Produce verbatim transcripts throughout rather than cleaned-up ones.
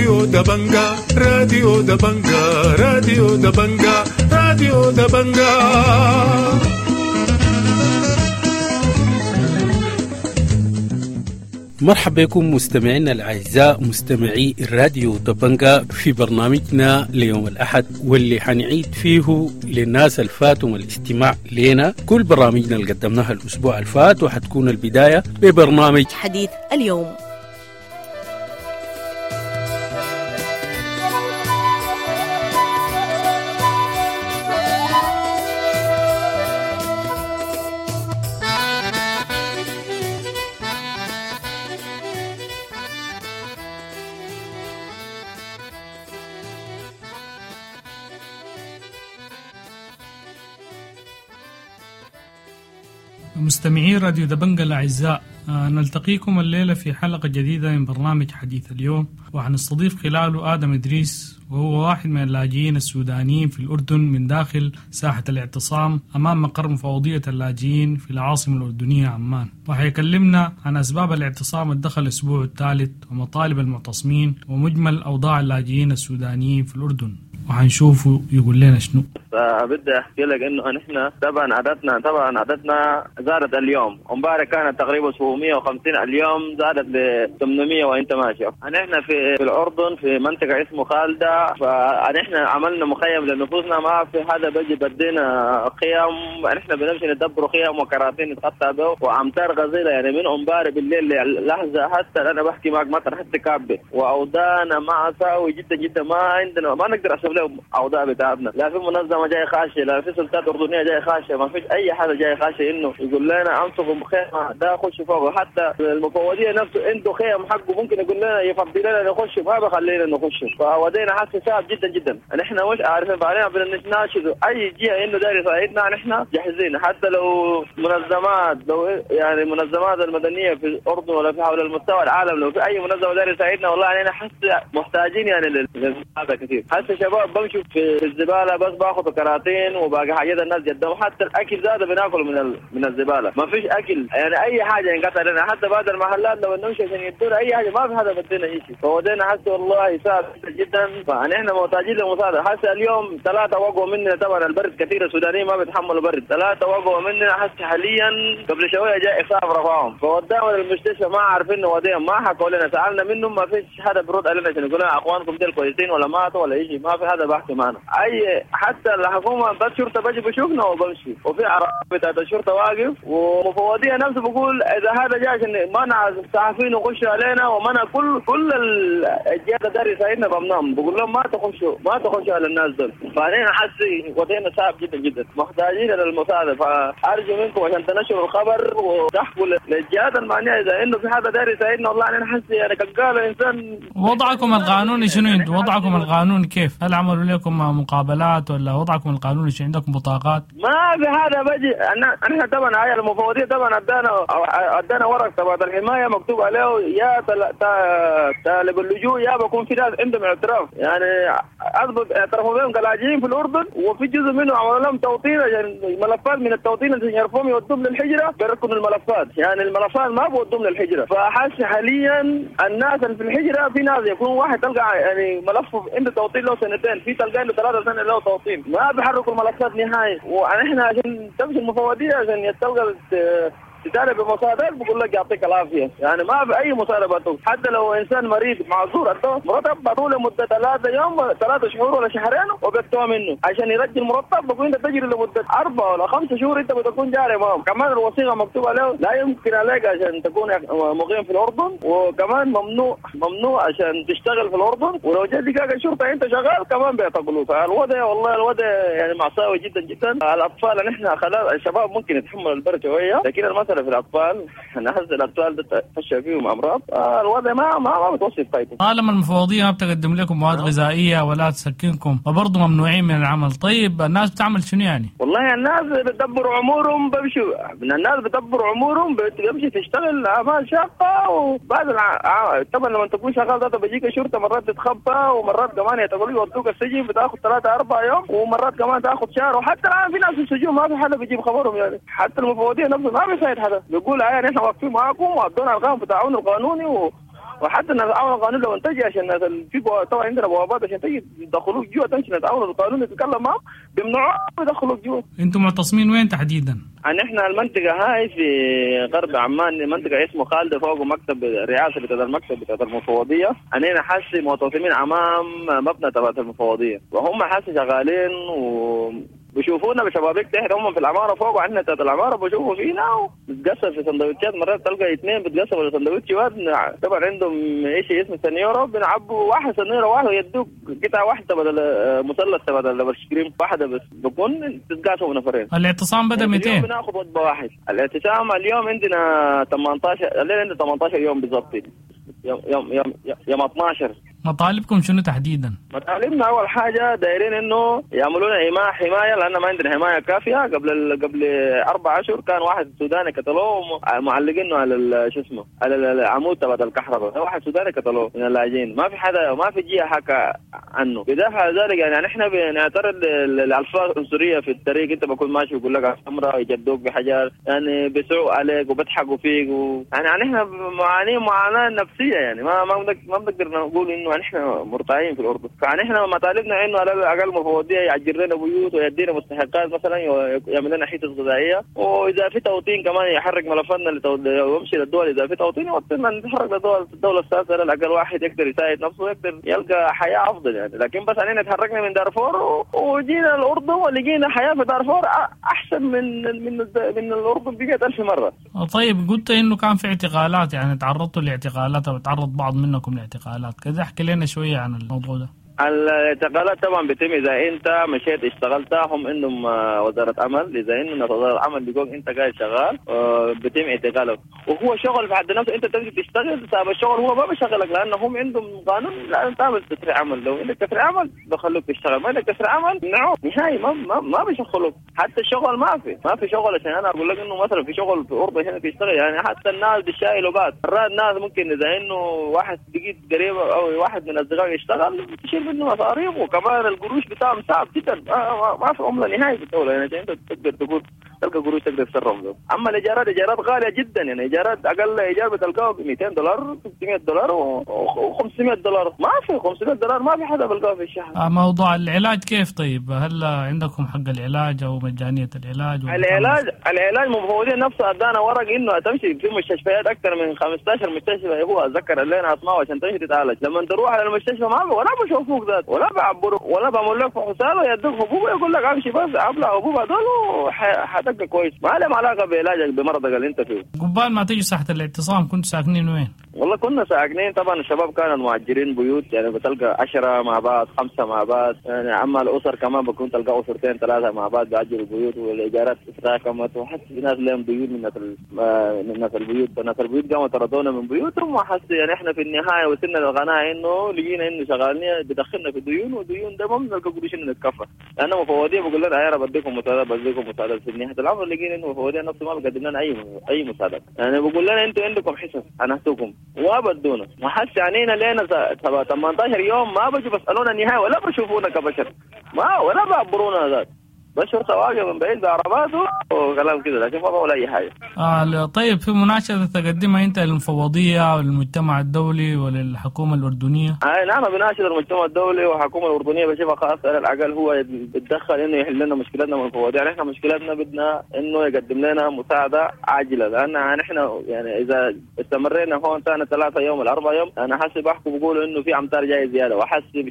راديو دبنجا راديو دبنجا راديو دبنجا راديو دبنجا. مرحبا بكم مستمعينا الأعزاء مستمعي الراديو دبنجا في برنامجنا ليوم الأحد، واللي حنعيد فيه للناس الفاتهم الاستماع لنا كل برامجنا اللي قدمناها الأسبوع الفات، وحتكون البداية ببرنامج حديث اليوم. مستمعي راديو دبنجا الأعزاء، نلتقيكم الليلة في حلقة جديدة من برنامج حديث اليوم، وحنستضيف خلاله آدم إدريس، وهو واحد من اللاجئين السودانيين في الأردن من داخل ساحة الاعتصام أمام مقر مفوضية اللاجئين في العاصمة الأردنية عمان، وحيكلمنا عن أسباب الاعتصام الدخل الأسبوع الثالث ومطالب المعتصمين ومجمل أوضاع اللاجئين السودانيين في الأردن، وحنشوفه يقول لنا شنو. فبدي احكي لك انه نحن طبعا عددنا طبعا عددنا زادت اليوم، امبارح كانت تقريبا سبعمية وخمسين، اليوم زادت ل ثمانمية وانت ماشي. نحن في الاردن في منطقة اسمه خالدة، فنحن عملنا مخيم لنفوسنا، ما في حدا بيجي بدينا خيم، نحن بنمشي ندبر خيم وكراتين نتغطى به، وامطار غزيرة يعني من امبارح بالليل لحظة حتى انا بحكي معك مطر حتى كابه، واوضاعنا مأساوي جدا جدا، ما عندنا ما نقدر احسب لهم اوضاع بتاعتنا، لا في منظمة جاي خاشه، لا في سلطات اردنية جاي خاشه، ما فيش اي حدا جاي خاشه انه يقول لنا انصبوا خيمة ده خش فوق. حتى المفوضية نفسه عنده خيم حقه ممكن يقول لنا يفضي لنا نخش، ما بخلينا نخش. فودينا حاسه صعب جدا جدا، نحن مش عارفين، بعدين بدنا نناشد اي جهة انه داير يساعدنا، نحن جاهزين، حتى لو منظمات، لو يعني منظمات المدنية في الاردن ولا في حول المستوى العالم، لو في اي منظمة داير يساعدنا والله علينا حاسه محتاجين يعني للمساعدة كثير. حاسه شباب بمشوا في الزبالة بس باخذ كراتين وباقي حاجات الناس قدام، حتى الاكل زاد بناكل من ال... من الزبالة، ما فيش اكل يعني اي حاجة ينقطع لنا، حتى بعد المحلات لو نمشي عشان يدونا اي حاجة ما في حدا بدينا شيء. فودينا حاسه والله صعب جدا، فنحن محتاجين لمساعده. حاسه اليوم ثلاثة وقعوا مننا، طبعا البرد كثير، السودانيين ما بيتحملوا برد، ثلاثة وقعوا مننا حاسه حاليا قبل شوية جاء اسعاف رفعهم فوداهم للمستشفى، ما عارفين وديهم، ما حكوا لنا، سالنا منهم ما فيش حدا برد علينا عشان يقول لنا اخوانكم دول كويسين ولا ماتوا ولا شيء، ما في حدا بحكي معنا اي. حتى الحكومة بس شرطه بجي بشوفنا وبمشي، وفي عربية بتاعت الشرطة واقف، ومفوضيه نفسه بقول اذا هذا جاي عشان منع الصحفيين يخشوا علينا ومنع كل كل الجهات داري يساعدنا بمنعهم، بقول لهم ما تخشوا ما تخشوا على الناس دول. فانا حاسس وضعنا صعب جدا جدا، محتاجين للمساعدة، فارجو منكم عشان تنشروا الخبر وتحكوا للجهات المعنية اذا انه في حدا داري يساعدنا. والله انا حاسس يعني كقال انسان. وضعكم القانوني شنو انتوا؟ وضعكم القانوني كيف؟ هل عملوا لكم مقابلات ولا وضعكم القانوني شو؟ عندكم بطاقات؟ ما في هذا بجي. احنا طبعا هاي المفوضية طبعا ادانا ادانا ورق تبع الحماية مكتوب عليه يا طالب اللجوء يا بكون في ناس عندهم اعتراف، يعني اثبت اعترفوا بهم كلاجئين في الاردن، وفي جزء منه عملوا لهم توطين عشان ملفات من التوطين عشان يرفعهم يودوهم للحجره، بيركنوا الملفات، يعني الملفات ما بودوهم للحجره. فحس حاليا الناس اللي في الحجرة في ناس يكون واحد تلقى يعني ملفه عنده توطين له سنتين، في تلقى له ثلاثة سنة له توطين، ما بيحركوا الملفات نهائي. ونحن عشان تمشي المفوضية عشان تلقى تطالب بمساعدات بقول لك يعطيك العافية، يعني ما في اي مطالبه. حتى لو انسان مريض معذور عنده مرتب بعطوه لمدة ثلاثة يوم ثلاثة شهور ولا شهرين وبيقطعوا منه عشان يرجع المرتب، بقول انت تجري لمدة اربع ولا خمسة شهور انت بتكون جاري معهم. كمان الوثيقة مكتوب عليه لا يمكن عليك عشان تكون مقيم في الاردن، وكمان ممنوع ممنوع عشان تشتغل في الاردن، ولو جت دقاقه الشرطة انت شغال كمان بيعتقلوك. فالوضع والله الوضع يعني مأساوي جدا جدا. الاطفال نحن خلاص الشباب ممكن يتحملوا البرد شوية، لكن المسألة في الأطفال نحس الأطفال تفشى فيهم أمراض، الوضع ما ما ما بتوصف. طيب طالما المفوضية ما بتقدم لكم مواد غذائية ولا تسكنكم وبرضه ممنوعين من العمل، طيب الناس بتعمل شنو يعني؟ والله الناس بتدبر أمورهم، بمشوا من الناس بتدبر أمورهم، بتمشي تشتغل أعمال شاقة، وبعد الع... طبعا لما تكون شغال ده بيجيك الشرطة مرات تتخبى، ومرات كمان يتقولوا يودوك السجن بتاخذ ثلاثة أربع يوم، ومرات كمان تاخذ شهر. وحتى الآن في ناس في السجون ما في حدا بيجيب خبرهم، يعني حتى المفوضية نفسه ما بيساعد حدا، بيقول يعني احنا واقفين معاكم وادونا القانون بتاعون القانوني و... وحتى الناس العون القانوني لو تجي عشان الناس في طبعا عندنا بوابات عشان تجي يدخلوك جوا، تمشي ناس العون القانوني تتكلم معهم بيمنعوك يدخلوك جوا. انتم معتصمين وين تحديدا؟ نحن المنطقة هاي في غرب عمان، منطقة اسمه خالدة، فوق مكتب الرئاسة بتاع المكتب بتاع المفوضية. أننا حاسي معتصمين أمام مبنى تبع المفوضية، وهم حاسي شغالين و بيشوفونا بشبابيك تحت، هم في العمارة فوق وعندنا تحت العمارة بيشوفوا فينا وبتقسم في سندوتشات. مرات تلقى اثنين بتقسموا في سندوتش واحد، طبعا عندهم شيء اسمه سنيوره، بنعبوا واحد سنيوره واحد ويدوك قطعه واحدة بدل مثلث بدل كريم واحدة بس، بكون تتقاسموا نفرين. الاعتصام بدا مئتين بناخذ وجبة واحد. الاعتصام اليوم عندنا ثمانية عشر، الليلة عندنا ثمانية عشر يوم بالضبط، يوم يوم يوم يوم اثنا عشر. مطالبكم شنو تحديدا؟ مطالبنا اول حاجة دايرين انه يعملوا لنا حماية، لان ما عندنا حماية كافيه. قبل ال... قبل اربع اشهر كان واحد سوداني قتلوه معلقينه على شو اسمه على العمود تبع الكهرباء، واحد سوداني قتلوه من اللاجئين، ما في حدا ما في جهة حكى عنه. بالاضافة على ذلك يعني احنا بنعترض للالفاظ العنصرية في الطريق، انت بكون ماشي يقول لك حمراء، يجدوك بحجر، يعني بيسعوا عليك وبيضحكوا فيك و... يعني احنا معانين معاناة نفسية، يعني ما ما ما بنقدر نقول انه نحن مرتاحين في الاردن. فنحن مطالبنا انه على الاقل المفوضية يعجل لنا بيوت ويدينا مستحقات مثلا، ويعمل لنا حصص غذائية، واذا في توطين كمان يحرك ملفاتنا ويمشي للدول، اذا في توطين يوطننا نتحرك للدول الدولة الثالثة، على الاقل واحد يقدر يساعد نفسه ويقدر يلقى حياة افضل يعني. لكن بس علينا تحركنا من دارفور وجينا الاردن ولقينا حياة في دارفور احسن من من من الاردن بمئة ألف مرة. طيب قلت انه كان في اعتقالات، يعني تعرضتوا لاعتقالات او تعرض بعض منكم لاعتقالات كذا، احكي لنا شوية عن الموضوع ده. الاعتقالات طبعا بتم اذا انت مشيت اشتغلت، هم عندهم وزارة عمل، اذا انه وزارة العمل بيقول انت قاعد شغال بتم اعتقالك، وهو شغل في حد نفسه، انت تمشي تشتغل صاحب الشغل هو ما بيشغلك، لانه هم عندهم قانون لازم تعمل تسريع عمل، لو عندك تسريع عمل بخلوك تشتغل، ما عندك تسريع عمل نعم نهائي ما ما, ما بيشغلوك. حتى الشغل ما في ما في شغل. عشان انا اقول لك انه مثلا في شغل في اوروبا هنا تشتغل، يعني حتى الناس بيشايلوا بعض، مرات الناس ممكن اذا انه واحد بقيت قريب او واحد من اصدقائك يشتغل تشيل منه مصاريف، وكمان القروش بتاعهم صعب جدا، ما, ما في عمله نهائي في الدولة، يعني عشان انت تقدر تقول تلقى قروش تقدر تتصرف له. اما الايجارات ايجارات غالية جدا، يعني ايجارات اقل ايجار بتلقاه ب مئتين دولار ثلاثمئة دولار وخمسمئة دولار، ما في خمسمئة دولار ما في حدا بلقاه في الشهر. موضوع العلاج كيف طيب؟ هل عندكم حق العلاج او مجانية العلاج؟ العلاج العلاج مفوضين نفسه ادانا ورق انه تمشي في مستشفيات اكثر من خمسة عشر مستشفى، هو اتذكر لنا اسماء عشان تمشي تتعالج. لما تروح على المستشفى ما ولا بشوفوك ذات ولا بعبروك ولا بعمل لك فحوصات، ويدوك حبوب يقول لك امشي بس ابلع حبوب هذول وحتبقى كويس، ما لهم علاقة بعلاجك بمرضك اللي انت فيه. قبال ما تيجي ساحة الاعتصام كنتوا ساكنين وين؟ والله كنا ساكنين طبعا الشباب كانوا مؤجرين بيوت، يعني بتلقى عشرة مع بعض، خمسة مع بعض، يعني اما الاسر كمان بكون تلقى اسرتين ثلاثة مع بعض بيأجروا بيوت، والايجارات تراكمت، وحس في ناس لهم بيوت من ناس من ناس البيوت، ناس البيوت قاموا طردونا من بيوتهم، وحس يعني احنا في النهاية وصلنا للقناعه انه لقينا انه شغالين بدخلنا في ديون، وديون ده ما بنلقى قروش انه نتكفى، لانه مفوضيه بقول لنا يا رب بديكم مساعدة بديكم مساعدة، في نهاية الامر لقينا انه مفوضيه نفسه ما بقدم لنا اي اي مساعدة، يعني بقول لنا انتوا عندكم حصص انا وبدونا، وحس علينا لنا ثمانية عشر يوم ما بيجوا بيسالونا النهاية ولا بشوفونا كبشر، ما ولا بعبرونا ذات، بس شرطه واقفة من بعيد بعرباته وكلام كده، لكن ما بقول اي حاجة. آه طيب في مناشده تقدمها انت للمفوضيه وللمجتمع الدولي وللحكومه الاردنية؟ آه نعم بناشد المجتمع الدولي والحكومة الاردنية بشوفها خاصة على الاقل هو بيتدخل انه يحل لنا مشكلتنا من المفوضية، يعني احنا مشكلتنا بدنا انه يقدم لنا مساعدة عاجله، لان نحن يعني اذا استمرينا هون ثاني ثلاثة يوم ولا اربع يوم انا حاسب بحكوا بيقولوا انه في امطار جاية زيادة، وحاسب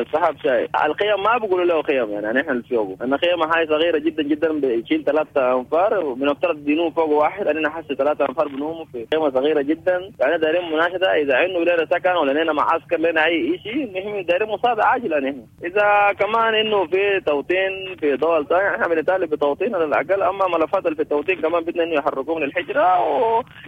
السحاب شاي الخيم ما بيقولوا له خيم، يعني نحن اللي فوقه انا خيمة هاي صغيرة جدا جدا بتشيل ثلاثة انفار، وبنفترض بينوم فوق واحد، انا حاسس ثلاثة انفار بنوموا في خيمة صغيرة جدا، يعني دايرين مناشده اذا انه لنا سكن ولا لنا معسكر لنا اي شيء، المهم دايرين مساعدة عاجله نحن. اذا كمان انه في توطين في دول ثانية احنا بنطالب بتوطين على الاقل، اما ملفات اللي في التوطين كمان بدنا انه يحركوه من الحجرة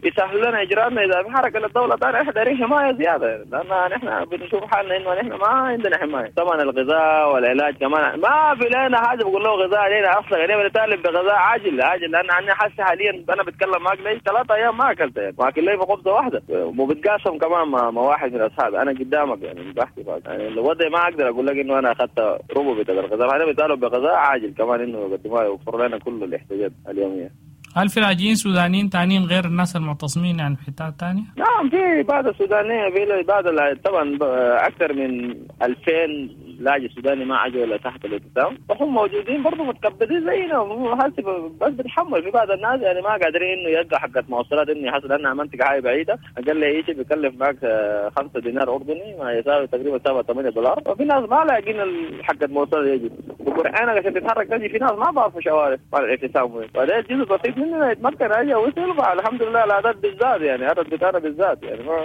ويسهلوا لنا اجراءاتنا اذا في حركة للدولة الثانية، احنا دايرين حماية زيادة، لان نحن بنشوف حالنا انه نحن ما عندنا حماية. طبعا الغذاء والعلاج كمان ما في لنا حاجة بقول له غذاء علينا اصلا، يعني بنطالب بغذاء عاجل عاجل، لان انا حاسس حاليا انا بتكلم معك لي ثلاثة ايام ما اكلت، يعني واكل لي خبزه واحدة وبتقاسم كمان مع, مع واحد من اصحابي انا قدامك، يعني بحكي يعني الوضع ما اقدر اقول لك انه انا اخذت ربع بتاع الغذاء، انا بطالب بغذاء عاجل كمان انه يقدموها يوفروا لنا كل الاحتياجات اليومية. هل في لاجئين سودانيين تانيين غير الناس المعتصمين يعني في حتات تانية؟ نعم، في بعض السودانيين، في بعض طبعا أكثر من ألفين لاجئ سوداني ما عجوا إلى تحت الاعتصام، وهم موجودين برضه متكبدين زينا، بس بتحمل. في بعض الناس يعني ما قادرين إنه يلقى حقة مواصلات إنه يحصل، لأنها منطقة هاي بعيدة، أقل شيء بيكلف معك خمسة دينار أردني ما يساوي تقريبا سبعة ثمانية دولار، وفي ناس ما لاقين حقة مواصلات يجي وقرآن عشان تتحرك تجي، في ناس ما بعرفوا شوارع مال الاعتصام وين، وهذا الجزء بسيط مننا يتمكن أجي وصل. الحمد لله العدد بالذات يعني عدد بتاعنا بالذات يعني ما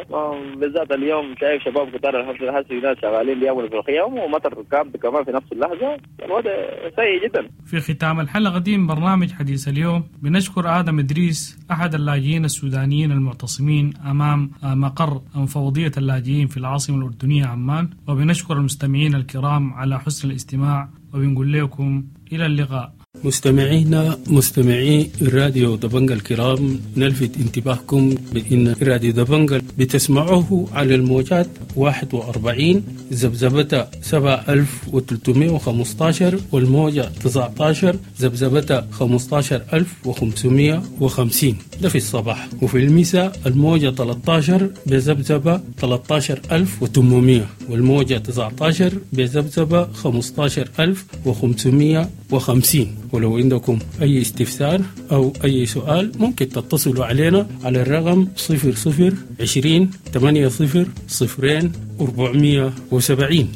بالذات اليوم شايف شباب كتار الحمد لله، حسي ناس شغالين بيعملوا في الخيام ومطر كامب كمان في نفس اللحظة، الوضع سيء جدا. في ختام الحلقة دي من برنامج حديث اليوم بنشكر آدم إدريس أحد اللاجئين السودانيين المعتصمين أمام مقر مفوضية اللاجئين في العاصمة الأردنية عمان، وبنشكر المستمعين الكرام على حسن الاستماع، وبنقول لكم إلى اللقاء. مستمعينا مستمعي الراديو دبنجا الكرام، نلفت انتباهكم بأن راديو دبنجا بتسمعوه على الموجات واحد وأربعين ذبذبة سبعة ألف وثلاثمائة وخمسة والموجة تسعة عشر ذبذبة خمسة عشر ألف وخمسمائة وخمسين، ده في الصباح، وفي المساء الموجة ثلاثة عشر بذبذبة ثلاثة عشر ألف وثمانمائة والموجة تسعة عشر بذبذبة خمسة عشر ألف وخمسمائة وخمسين. ولو عندكم أي استفسار أو أي سؤال ممكن تتصلوا علينا على الرقم صفر صفر عشرين ثمانية صفر صفرين أربعمية وسبعين،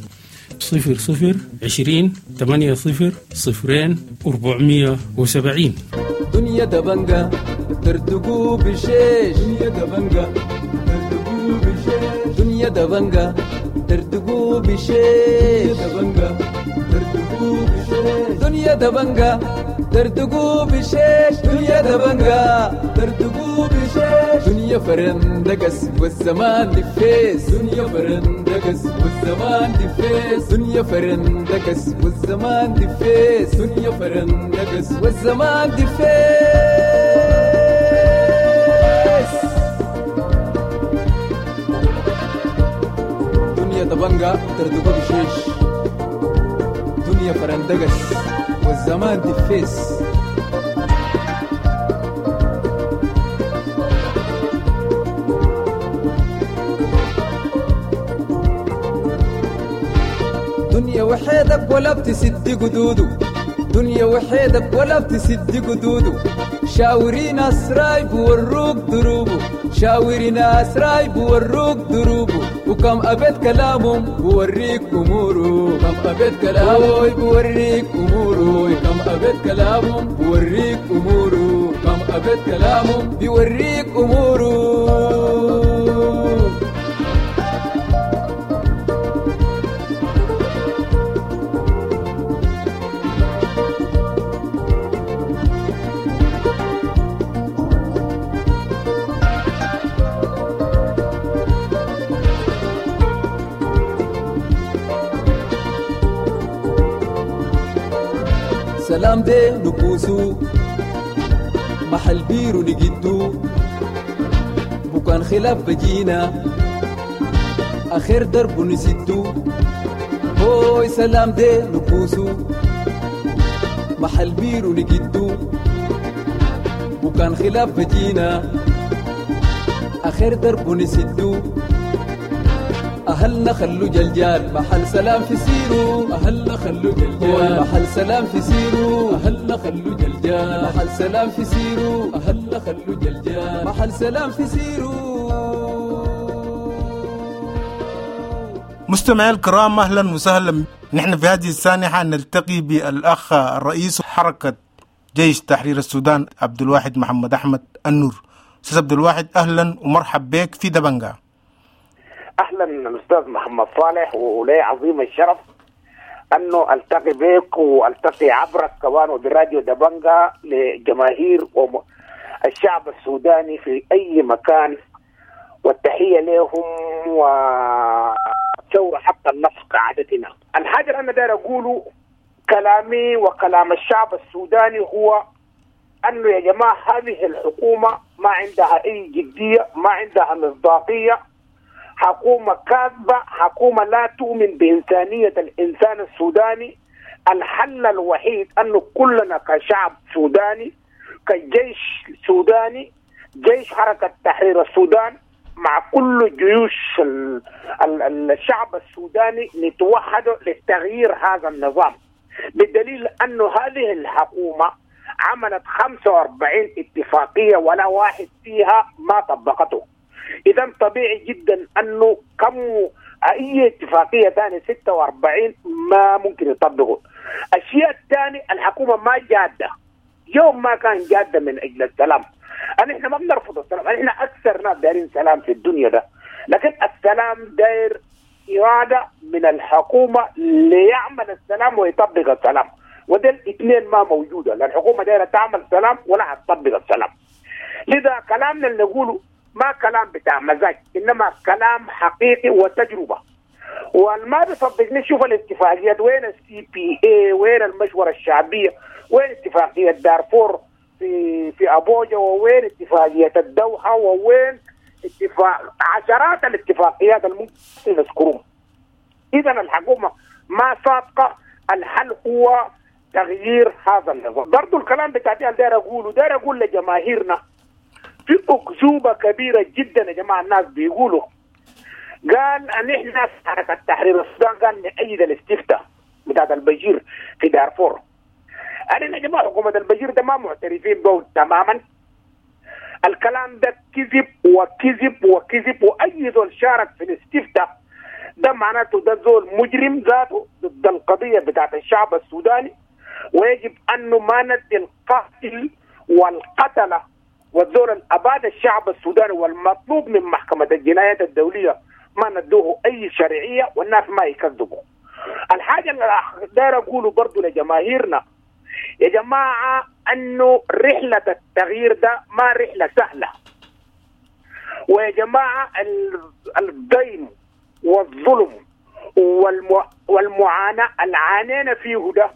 صفر صفر عشرين ثمانية صفر صفرين أربعمية وسبعين. دنيا دبنجا تردقوا بشيش، دنيا دبنجا تردقوا بشيش، دنيا دبنجا تردقوا بشيش، دبنجا تردقوا بشيش، دنيا دبنجا تردقوا بشيش، دنيا دبنجا تردقوا بشيش، دنيا فرندقس والزمان دفيس، دنيا فرندقس والزمان دفيس، دنيا فرندقس والزمان دفيس، دنيا فرندقس والزمان دفيس. دنيا دبنجا تردقوا بشيش، دنيا فرندقس والزمان دفيس. دنيا وحيدك ولا بتسد قدوده، دنيا وحيدك ولا بتسد قدوده، شاوري ناس رايب وروك دروبه، شاوري ناس رايب وروك دروبه، وكم أبيت كلامهم بوريك أموره، كم أبيت كلامهم بوريك أموره، كم أبيت كلامهم بوريك أموره، كم أبيت كلامهم بيوريك أموره. سلام دي نكوسو محل بيرو نجدو، بكان خلاف بجينا آخر درب نسدو، هوي سلام دي نكوسو محل بيرو نجدو، بكان خلاف بجينا آخر درب نسدو، أهلنا خلو جلجال محل سلام في سيرو، أهلنا خلو جلجال محل سلام في سيرو، أهلنا خلو جلجال محل سلام في سيرو، أهلنا خلو جلجال محل سلام في سيرو. مستمعي الكرام، أهلا وسهلا. نحن في هذه السانحة نلتقي بالأخ الرئيس حركة جيش تحرير السودان عبد الواحد محمد أحمد النور. أستاذ عبد الواحد، أهلا ومرحب بك في دبنجا. اهلا الاستاذ محمد صالح، ولي عظيم الشرف انه التقي بك والتقي عبرك كمان وبراديو دبنجا لجماهير الشعب السوداني في اي مكان، والتحيه لهم وثوره حتى النصر كعادتنا. الحاجه اللي انا داير اقوله، كلامي وكلام الشعب السوداني هو انه يا جماعه هذه الحكومه ما عندها اي جديه، ما عندها مصداقيه، حكومة كاذبة، حكومة لا تؤمن بإنسانية الإنسان السوداني. الحل الوحيد أنه كلنا كشعب سوداني كجيش سوداني، جيش حركة تحرير السودان مع كل جيوش الشعب السوداني نتوحد لتغيير هذا النظام، بدليل أن هذه الحكومة عملت خمسة وأربعين اتفاقية ولا واحد فيها ما طبقته. إذا طبيعي جدا أنه كم أي اتفاقية ثانية ستة وأربعين ما ممكن يطبقوا. الشيء الثاني الحكومة ما جادة، يوم ما كان جادة من أجل السلام. نحن ما بنرفض السلام، نحن أكثر ناس دايرين سلام في الدنيا ده، لكن السلام داير إرادة من الحكومة ليعمل السلام ويطبق السلام، وده الاثنين ما موجودة. لا الحكومة دايرة تعمل سلام ولا هتطبق السلام. لذا كلامنا اللي نقوله ما كلام بتاع مزاج، إنما كلام حقيقي وتجربة. والما بيصدقني شوف الاتفاقيات، وين ال CPA، وين المشورة الشعبية، وين اتفاقية دارفور في في أبوجا، ووين اتفاقية الدوحة، ووين اتفاق عشرات الاتفاقيات الممكن نذكرهم. إذا الحكومة ما صادقة، الحل هو تغيير هذا النظام. برضو الكلام بتاعتي أنا داير أقوله، داير أقول لجماهيرنا في أكذوبة كبيرة جدا يا جماعة. الناس بيقولوا قال أن إحنا في حركة تحرير السودان قال نأيد الاستفتاء بتاعت البشير في دارفور. أنا يا جماعة حكومة البشير ده ما معترفين به تماما. الكلام ده كذب وكذب وكذب، وأي زول شارك في الاستفتاء ده معناته ده زول مجرم ذاته ضد القضية بتاعت الشعب السوداني، ويجب أنه ما ندي القاتل والقتلة والزول الأباد الشعب السوداني والمطلوب من محكمة الجنايات الدولية ما ندوه أي شرعية، والناس ما يكذبوا. الحاجة اللي داير أقوله برضو لجماهيرنا يا جماعة أنه رحلة التغيير ده ما رحلة سهلة، ويا جماعة الضيم والظلم والمعاناة اللي عانينا فيه ده،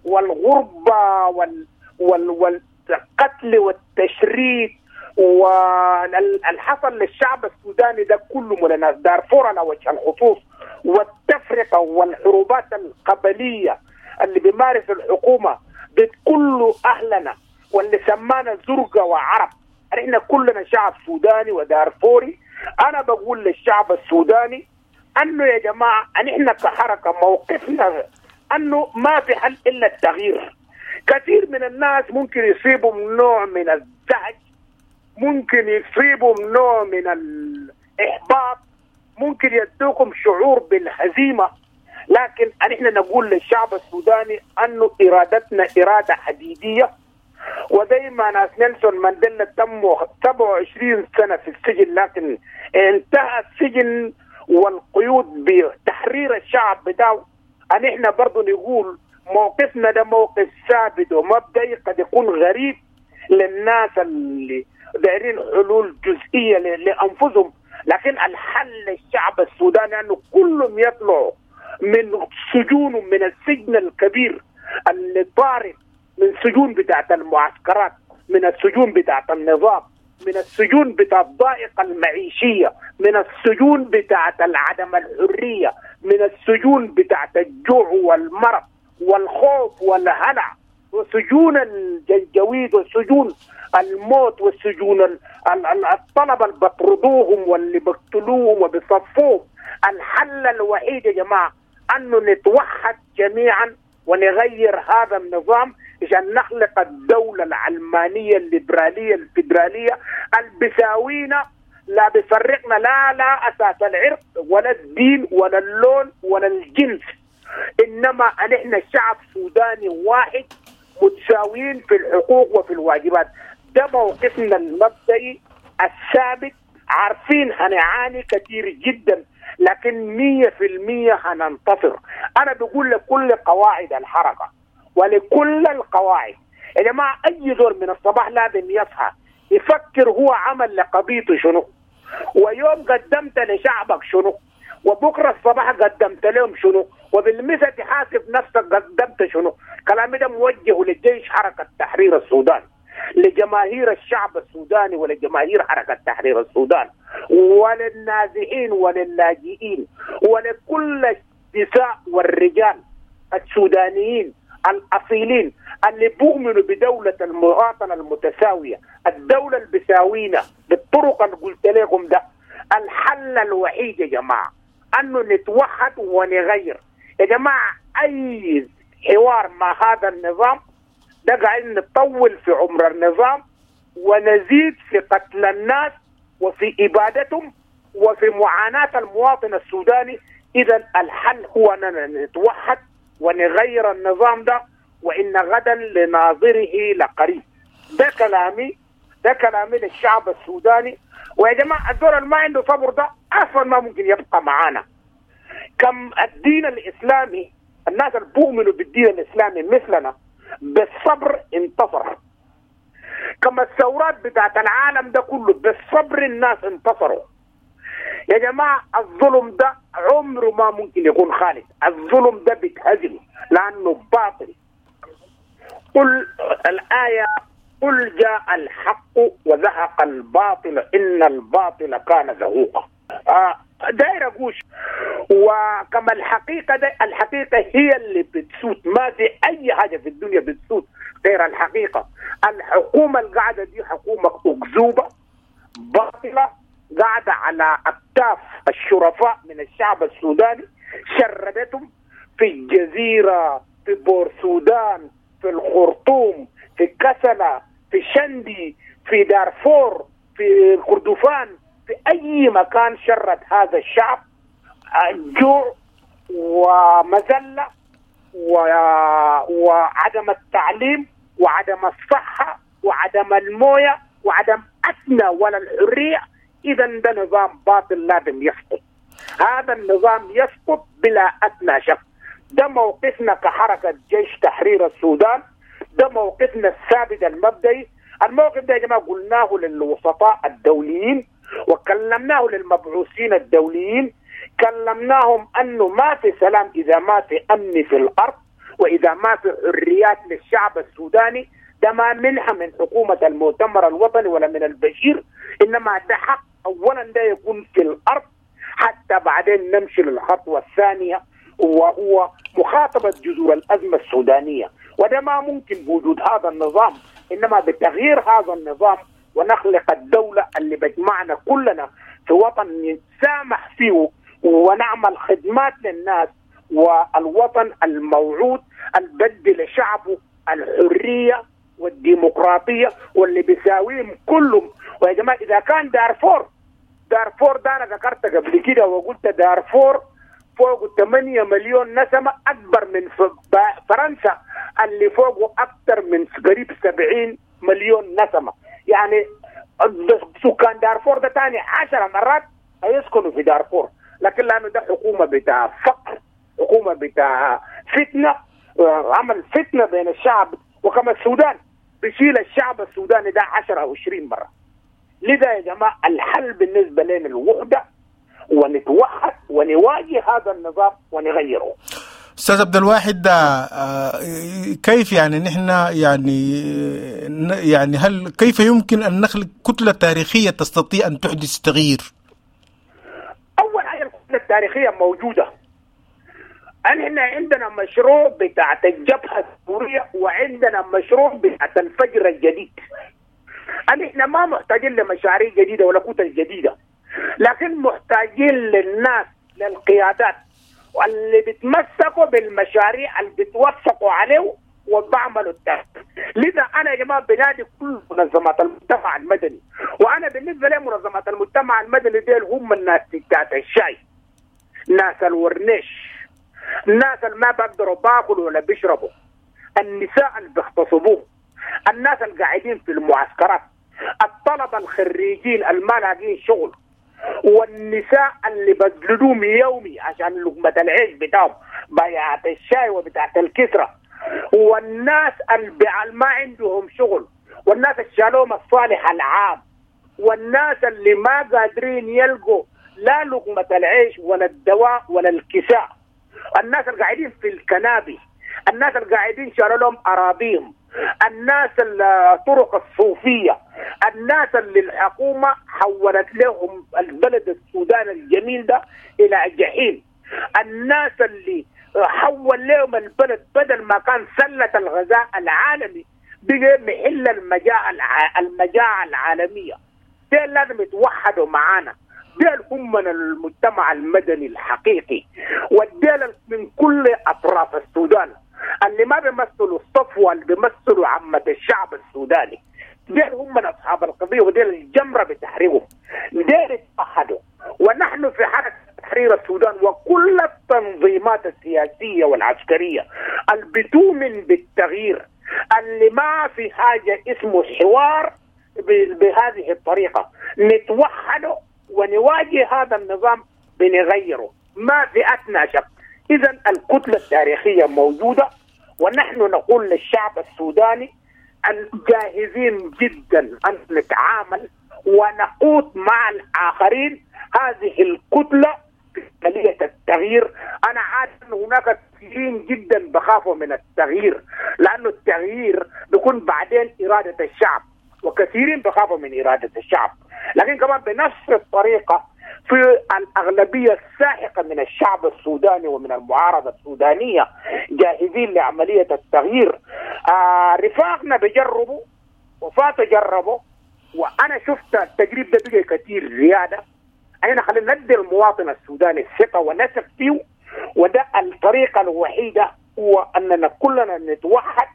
والغربة وال وال والقتل والتشريد والحصل للشعب السوداني ده كله من الناس دارفور على وجه الخصوص، والتفرقة والحروبات القبلية اللي بيمارس الحكومة ضد كل أهلنا واللي سمانا زرقة وعرب. احنا كلنا شعب سوداني ودارفوري. أنا بقول للشعب السوداني أنه يا جماعة أن احنا كحركة موقفنا أنه ما في حل إلا التغيير. كثير من الناس ممكن يصيبهم نوع من الزعج، ممكن يصيبهم نوع من الإحباط، ممكن يدوكم شعور بالهزيمة، لكن نحن نقول للشعب السوداني أنه إرادتنا إرادة حديدية. وزي ما ناس نيلسون مانديلا تموا سبعة وعشرين سنة في السجن، لكن انتهى السجن والقيود بتحرير الشعب بتاعه. نحن برضو نقول موقفنا ده موقف ثابت ومبدئي، قد يكون غريب للناس اللي دايرين حلول جزئية لأنفسهم، لكن الحل للشعب السوداني أنه كلهم يطلعوا من سجونهم، من السجن الكبير اللي طارد، من سجون بتاعت المعسكرات، من السجون بتاعت النظام، من السجون بتاعت الضائقة المعيشية، من السجون بتاعت عدم الحرية، من السجون بتاعت الجوع والمرض والخوف والهلع، وسجون الجنجويد وسجون الموت والسجون الطلبة اللي بطردوهم واللي بقتلوهم وبيصفوهم. الحل الوحيد يا جماعة أنه نتوحد جميعا ونغير هذا النظام عشان نخلق الدولة العلمانية الليبرالية الفيدرالية البساوينا، لا بيفرقنا لا لا أساس العرق ولا الدين ولا اللون ولا الجنس، إنما نحن شعب سوداني واحد متساويين في الحقوق وفي الواجبات. ده موقفنا المبدئي الثابت. عارفين هنعاني كثير جدا، لكن مية في المية هننتصر. أنا بقول لكل قواعد الحركة ولكل القواعد يا جماعة، أي زول من الصباح لازم يصحى يفكر هو عمل لقضيته شنو، ويوم قدمت لشعبك شنو، وبكرة الصباح قدمت لهم شنو، وبالمثل تحاسب نفسك قدمت شنو. كلامي ده موجه للجيش حركة تحرير السودان، لجماهير الشعب السوداني ولجماهير حركة تحرير السودان، وللنازحين وللاجئين، ولكل النساء والرجال السودانيين الأصيلين اللي بؤمنوا بدولة المواطنة المتساوية، الدولة اللي بيساوينا بالطرق اللي قلت لكم ده. الحل الوحيد يا جماعة أنه نتوحد ونغير يا جماعة. أي حوار مع هذا النظام ده قاعدين نطول في عمر النظام ونزيد في قتل الناس وفي إبادتهم وفي معاناة المواطن السوداني. إذا الحل هو أننا نتوحد ونغير النظام ده، وإن غدا لناظره لقريب. ده كلامي، ده كلامي للشعب السوداني. ويا جماعة الدور اللي ما عنده صبر ده أصلا ما ممكن يبقى معانا. كم الدين الإسلامي، الناس اللي بيؤمنوا بالدين الإسلامي مثلنا بالصبر انتصر. كما الثورات بتاعت العالم ده كله بالصبر الناس انتصروا. يا جماعة الظلم ده عمره ما ممكن يكون خالد، الظلم ده بيتهزم لأنه باطل. قل الآية قل جاء الحق وزهق الباطل إن الباطل كان زهوقا. آه داير أقول وكما الحقيقة ده، الحقيقة هي اللي بتسود، ما في أي حاجة في الدنيا بتسود غير الحقيقة. الحكومة القاعدة دي حكومة أكذوبة باطلة قاعدة على أكتاف الشرفاء من الشعب السوداني، شردتهم في الجزيرة، في بور سودان، في الخرطوم، في كسلة، في شندي، في دارفور، في كردفان، في أي مكان شرد هذا الشعب جوع ومذلة و... وعدم التعليم وعدم الصحة وعدم الموية وعدم أدنى ولا الحرية. إذا ده نظام باطل لازم يسقط. هذا النظام يسقط بلا أدنى شك. ده موقفنا كحركة جيش تحرير السودان، ده موقفنا الثابت المبدئي. الموقف ده يا جماعة قلناه للوسطاء الدوليين وكلمناه للمبعوثين الدوليين، كلمناهم أنه ما في سلام إذا ما في أمن في الأرض وإذا ما في حريات للشعب السوداني. ده ما منحة من حكومة المؤتمر الوطني ولا من البشير، إنما ده حق أولا ده يكون في الأرض حتى بعدين نمشي للخطوة الثانية وهو مخاطبة جذور الأزمة السودانية. وده ما ممكن بوجود هذا النظام، إنما بتغيير هذا النظام ونخلق الدولة اللي بجمعنا كلنا في وطن نتسامح فيه ونعمل خدمات للناس، والوطن الموعود البدي لشعبه الحرية والديمقراطية واللي بيساويهم كلهم. ويا جماعة إذا كان دارفور، دارفور ده أنا ذكرت قبل كده وقلت دارفور فوق ثمانية مليون نسمة، أكبر من فرنسا اللي فوقه أكثر من قريب سبعين مليون نسمة. يعني سكان دارفور ده تاني عشر مرات هيسكنوا في دارفور، لكن لأنه ده حكومة بتاع فقر، حكومة بتاع فتنة، عمل فتنة بين الشعب. وكما السودان بيشيل الشعب السوداني ده عشرة أو عشرين مرة. لذا يا جماعة الحل بالنسبة لنا الوحدة، ونتوحد ونواجه هذا النظام ونغيره. أستاذ عبد الواحد، كيف يعني نحن يعني يعني هل كيف يمكن أن نخلق كتلة تاريخية تستطيع أن تحدث تغيير؟ أول حاجة الكتلة التاريخية موجودة. نحن عندنا مشروع بتاعت الجبهة السورية وعندنا مشروع بتاعت الفجر الجديد. نحن ما محتاجين لمشاريع جديدة ولا كتل جديدة، لكن محتاجين للناس، للقيادات واللي بيتمسكوا بالمشاريع اللي بيتوثقوا عليه وبعملوا التغيير. لذا انا يا جماعه بنادي كل منظمات المجتمع المدني، وانا بالنسبه لي منظمات المجتمع المدني ديل هم الناس بتاعت الشاي، ناس الورنيش، الناس اللي ما بيقدروا باكلوا ولا بيشربوا، النساء اللي بيغتصبوه، الناس اللي قاعدين في المعسكرات، الطلبه الخريجين اللي ما لاقيين شغل، والنساء اللي بذلوهم يومي عشان لقمة العيش بتاعهم، بيعة الشاي وبتاعة الكسرة، والناس اللي ما عندهم شغل، والناس اللي شالوهم الصالح العام، والناس اللي ما قادرين يلقوا لا لقمة العيش ولا الدواء ولا الكساء، الناس اللي قاعدين في الكنابي، الناس اللي قاعدين شالوا لهم أراضيهم، الناس الطرق الصوفية، الناس اللي الحكومة حولت لهم البلد السودان الجميل ده إلى جحيم، الناس اللي حول لهم البلد بدل ما كان سلة الغذاء العالمي بقى محل المجاعة المجاعة العالمية. ديل لازم يتوحدوا معانا، ديل هم من المجتمع المدني الحقيقي، والديل من كل أطراف السودان اللي ما بيمثلوا الصفوة، اللي بيمثلوا عامة الشعب السوداني، ديل هم من أصحاب القضية وديل الجمرة بتحريرهم. ديل اتوحدوا، ونحن في حركة تحرير السودان وكل التنظيمات السياسية والعسكرية اللي بتؤمن بالتغيير، اللي ما في حاجة اسمه حوار بهذه الطريقة، نتوحد ونواجه هذا النظام بنغيره، ما في أدنى شك. إذن الكتلة التاريخية موجودة، ونحن نقول للشعب السوداني أن جاهزين جدا أن نتعامل ونقود مع الآخرين هذه الكتلة في عملية التغيير. أنا عارف أن هناك كثيرين جدا بخافوا من التغيير، لأنه التغيير بيكون بعدين إرادة الشعب، وكثيرين بخافوا من إرادة الشعب، لكن كمان بنفس الطريقة في الأغلبية الساحقة من الشعب السوداني ومن المعارضة السودانية جاهزين لعملية التغيير. آه رفاقنا بجربوا وفاتوا جربوا، وأنا شفت التجريب ده بقى كثير زيادة. أنا خلينا ندي المواطن السوداني الثقة ونثق فيه، وده الطريقة الوحيدة هو أننا كلنا نتوحد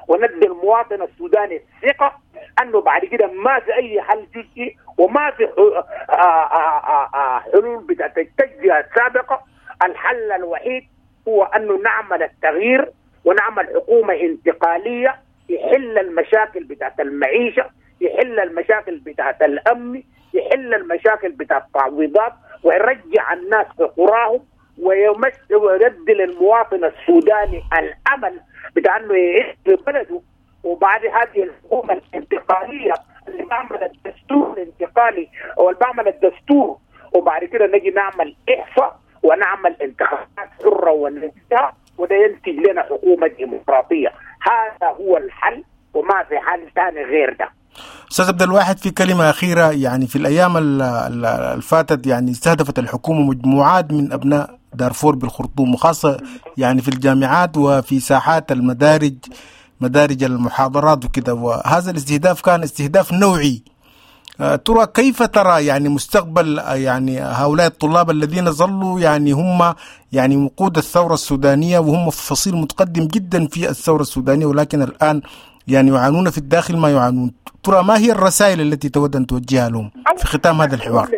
وندي المواطن السوداني الثقة أنه بعد كده ما في أي حل جزئي وما في حلول بتاعت التجزئة السابقة. الحل الوحيد هو أنه نعمل التغيير ونعمل حكومة انتقالية يحل المشاكل بتاعت المعيشة، يحل المشاكل بتاعت الأمن، يحل المشاكل بتاعت التعويضات، ويرجع الناس في قراهم، ويدي للمواطن السوداني الأمل بتاع أنه يعيش في بلده. وبعد هذه الحكومة الانتقالية اللي بعمل الدستور الانتقالي أو اللي بعمل الدستور، وبعد كده نجي نعمل إحصاء ونعمل انتخابات حرة ونزيهة، وده ينتج لنا حكومة ديمقراطية. هذا هو الحل وما في حل ثاني غير ده. أستاذ عبد الواحد، في كلمة أخيرة، يعني في الأيام الفاتت يعني استهدفت الحكومة مجموعات من أبناء دارفور بالخرطوم، وخاصة يعني في الجامعات وفي ساحات المدارج مدارج المحاضرات وكذا، وهذا الاستهداف كان استهداف نوعي. ترى كيف ترى يعني مستقبل يعني هؤلاء الطلاب الذين ظلوا يعني هم يعني وقود الثورة السودانية، وهم في فصيل متقدم جدا في الثورة السودانية، ولكن الآن يعني يعانون في الداخل ما يعانون؟ ترى ما هي الرسائل التي تود أن توجهها لهم في ختام هذا الحوار؟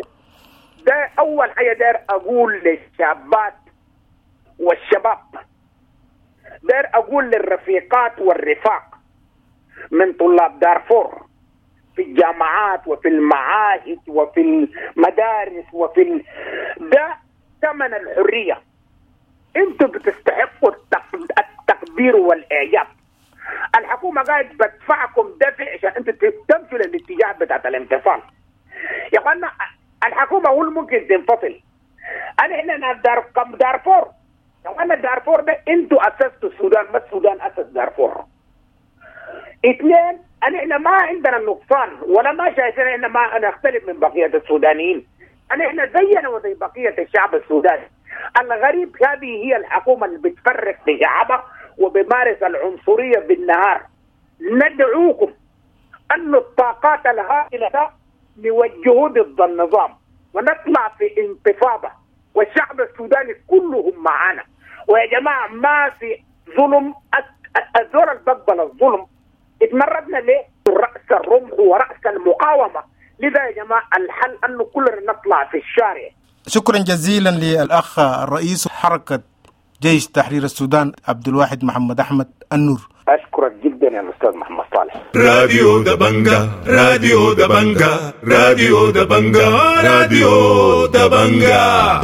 ده أول حاجة داير أقول للشابات والشباب، داير أقول للرفيقات والرفاق من طلاب دارفور في الجامعات وفي المعاهد وفي المدارس وفي ال... ده ثمن الحرية. انتوا بتستحقوا التقدير والإعجاب. الحكومة قاعد بدفعكم دفع عشان انتوا تمشوا للاتجاه بتاعت الانفصال. يا اخوانا الحكومة هو ممكن تنفصل. انا احنا دار كم دارفور، يا اخوانا دارفور ده انتوا اسستوا السودان، ما السودان اسس دارفور. اثنين، انا احنا ما عندنا نقصان ولا ما شايفين احنا ما نختلف من بقية السودانيين. انا احنا زينا وزي بقية الشعب السوداني. الغريب هذه هي الحكومة اللي بتفرق في شعبها وبمارس العنصرية بالنهار. ندعوكم أن الطاقات الهائلة ده نوجهه ضد النظام ونطلع في انتفاضة، والشعب السوداني كلهم معانا. ويا جماعة ما في ظلم، الزول اللي بقبل الظلم اتمردنا ليه؟ رأس الرمح ورأس المقاومة. لذا يا جماعة الحل أنه كلنا نطلع في الشارع. شكرا جزيلا للأخ الرئيس حركة جيش تحرير السودان عبد الواحد محمد أحمد النور. أشكرك جدا يا الأستاذ محمد صالح. راديو دبنجا، راديو دبنجا، راديو دبنجا، راديو دبنجا.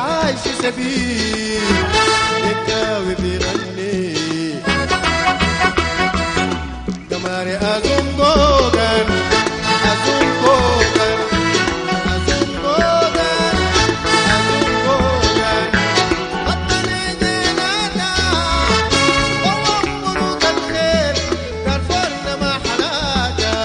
عايش سبيل بكاوي بيغني قمري أزنقوغن أزنقوغن أزنقوغن أزنقوغن وطني جنانا ووفروا الخير دارفورنا ما حلاجة.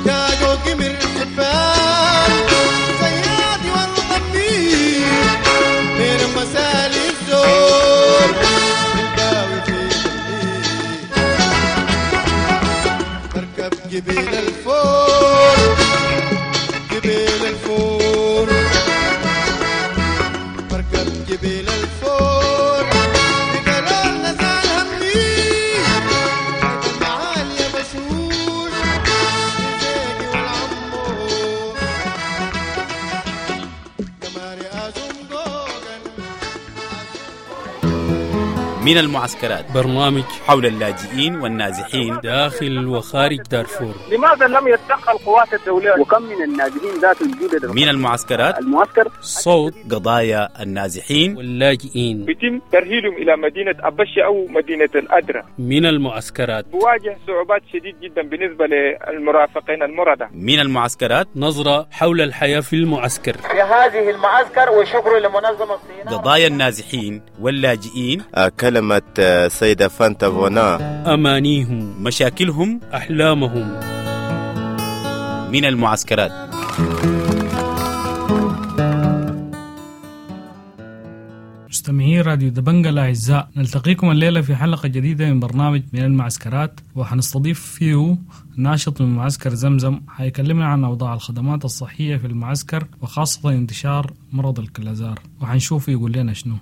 يا جوقي من الحبان زيادي والضمير من مسالي الزور الباوي في الليل بركب جبيل الفور جبيل الفور بركب جبيل الفور بقرار نزال همي المعالي بشوش زيدي والعمو قمري أزنقوغن من المعسكرات برنامج حول اللاجئين والنازحين داخل وخارج دارفور. لماذا لم يتدخل القوات الدولية؟ وكم من النازحين ذات الجدد من المعسكرات المعسكر صوت قضايا النازحين واللاجئين بيتم ترحيلهم إلى مدينة أبشة أو مدينة الأدرة. من المعسكرات بواجه صعوبات شديد جدا بالنسبة للمرافقين المرضى. من المعسكرات نظرة حول الحياة في المعسكر. في هذه المعسكر وشكر لمنظمة الصين. قضايا النازحين واللاجئين، كلمة سيدة فانتا فونا، أمانيهم، مشاكلهم، أحلامهم. من المعسكرات. مستمعي راديو دبنجة الأعزاء، نلتقيكم الليلة في حلقة جديدة من برنامج من المعسكرات، وحنستضيف فيه ناشط من معسكر زمزم حيكلمنا عن أوضاع الخدمات الصحية في المعسكر وخاصة انتشار مرض الكلازار، وحنشوف يقول لنا شنو.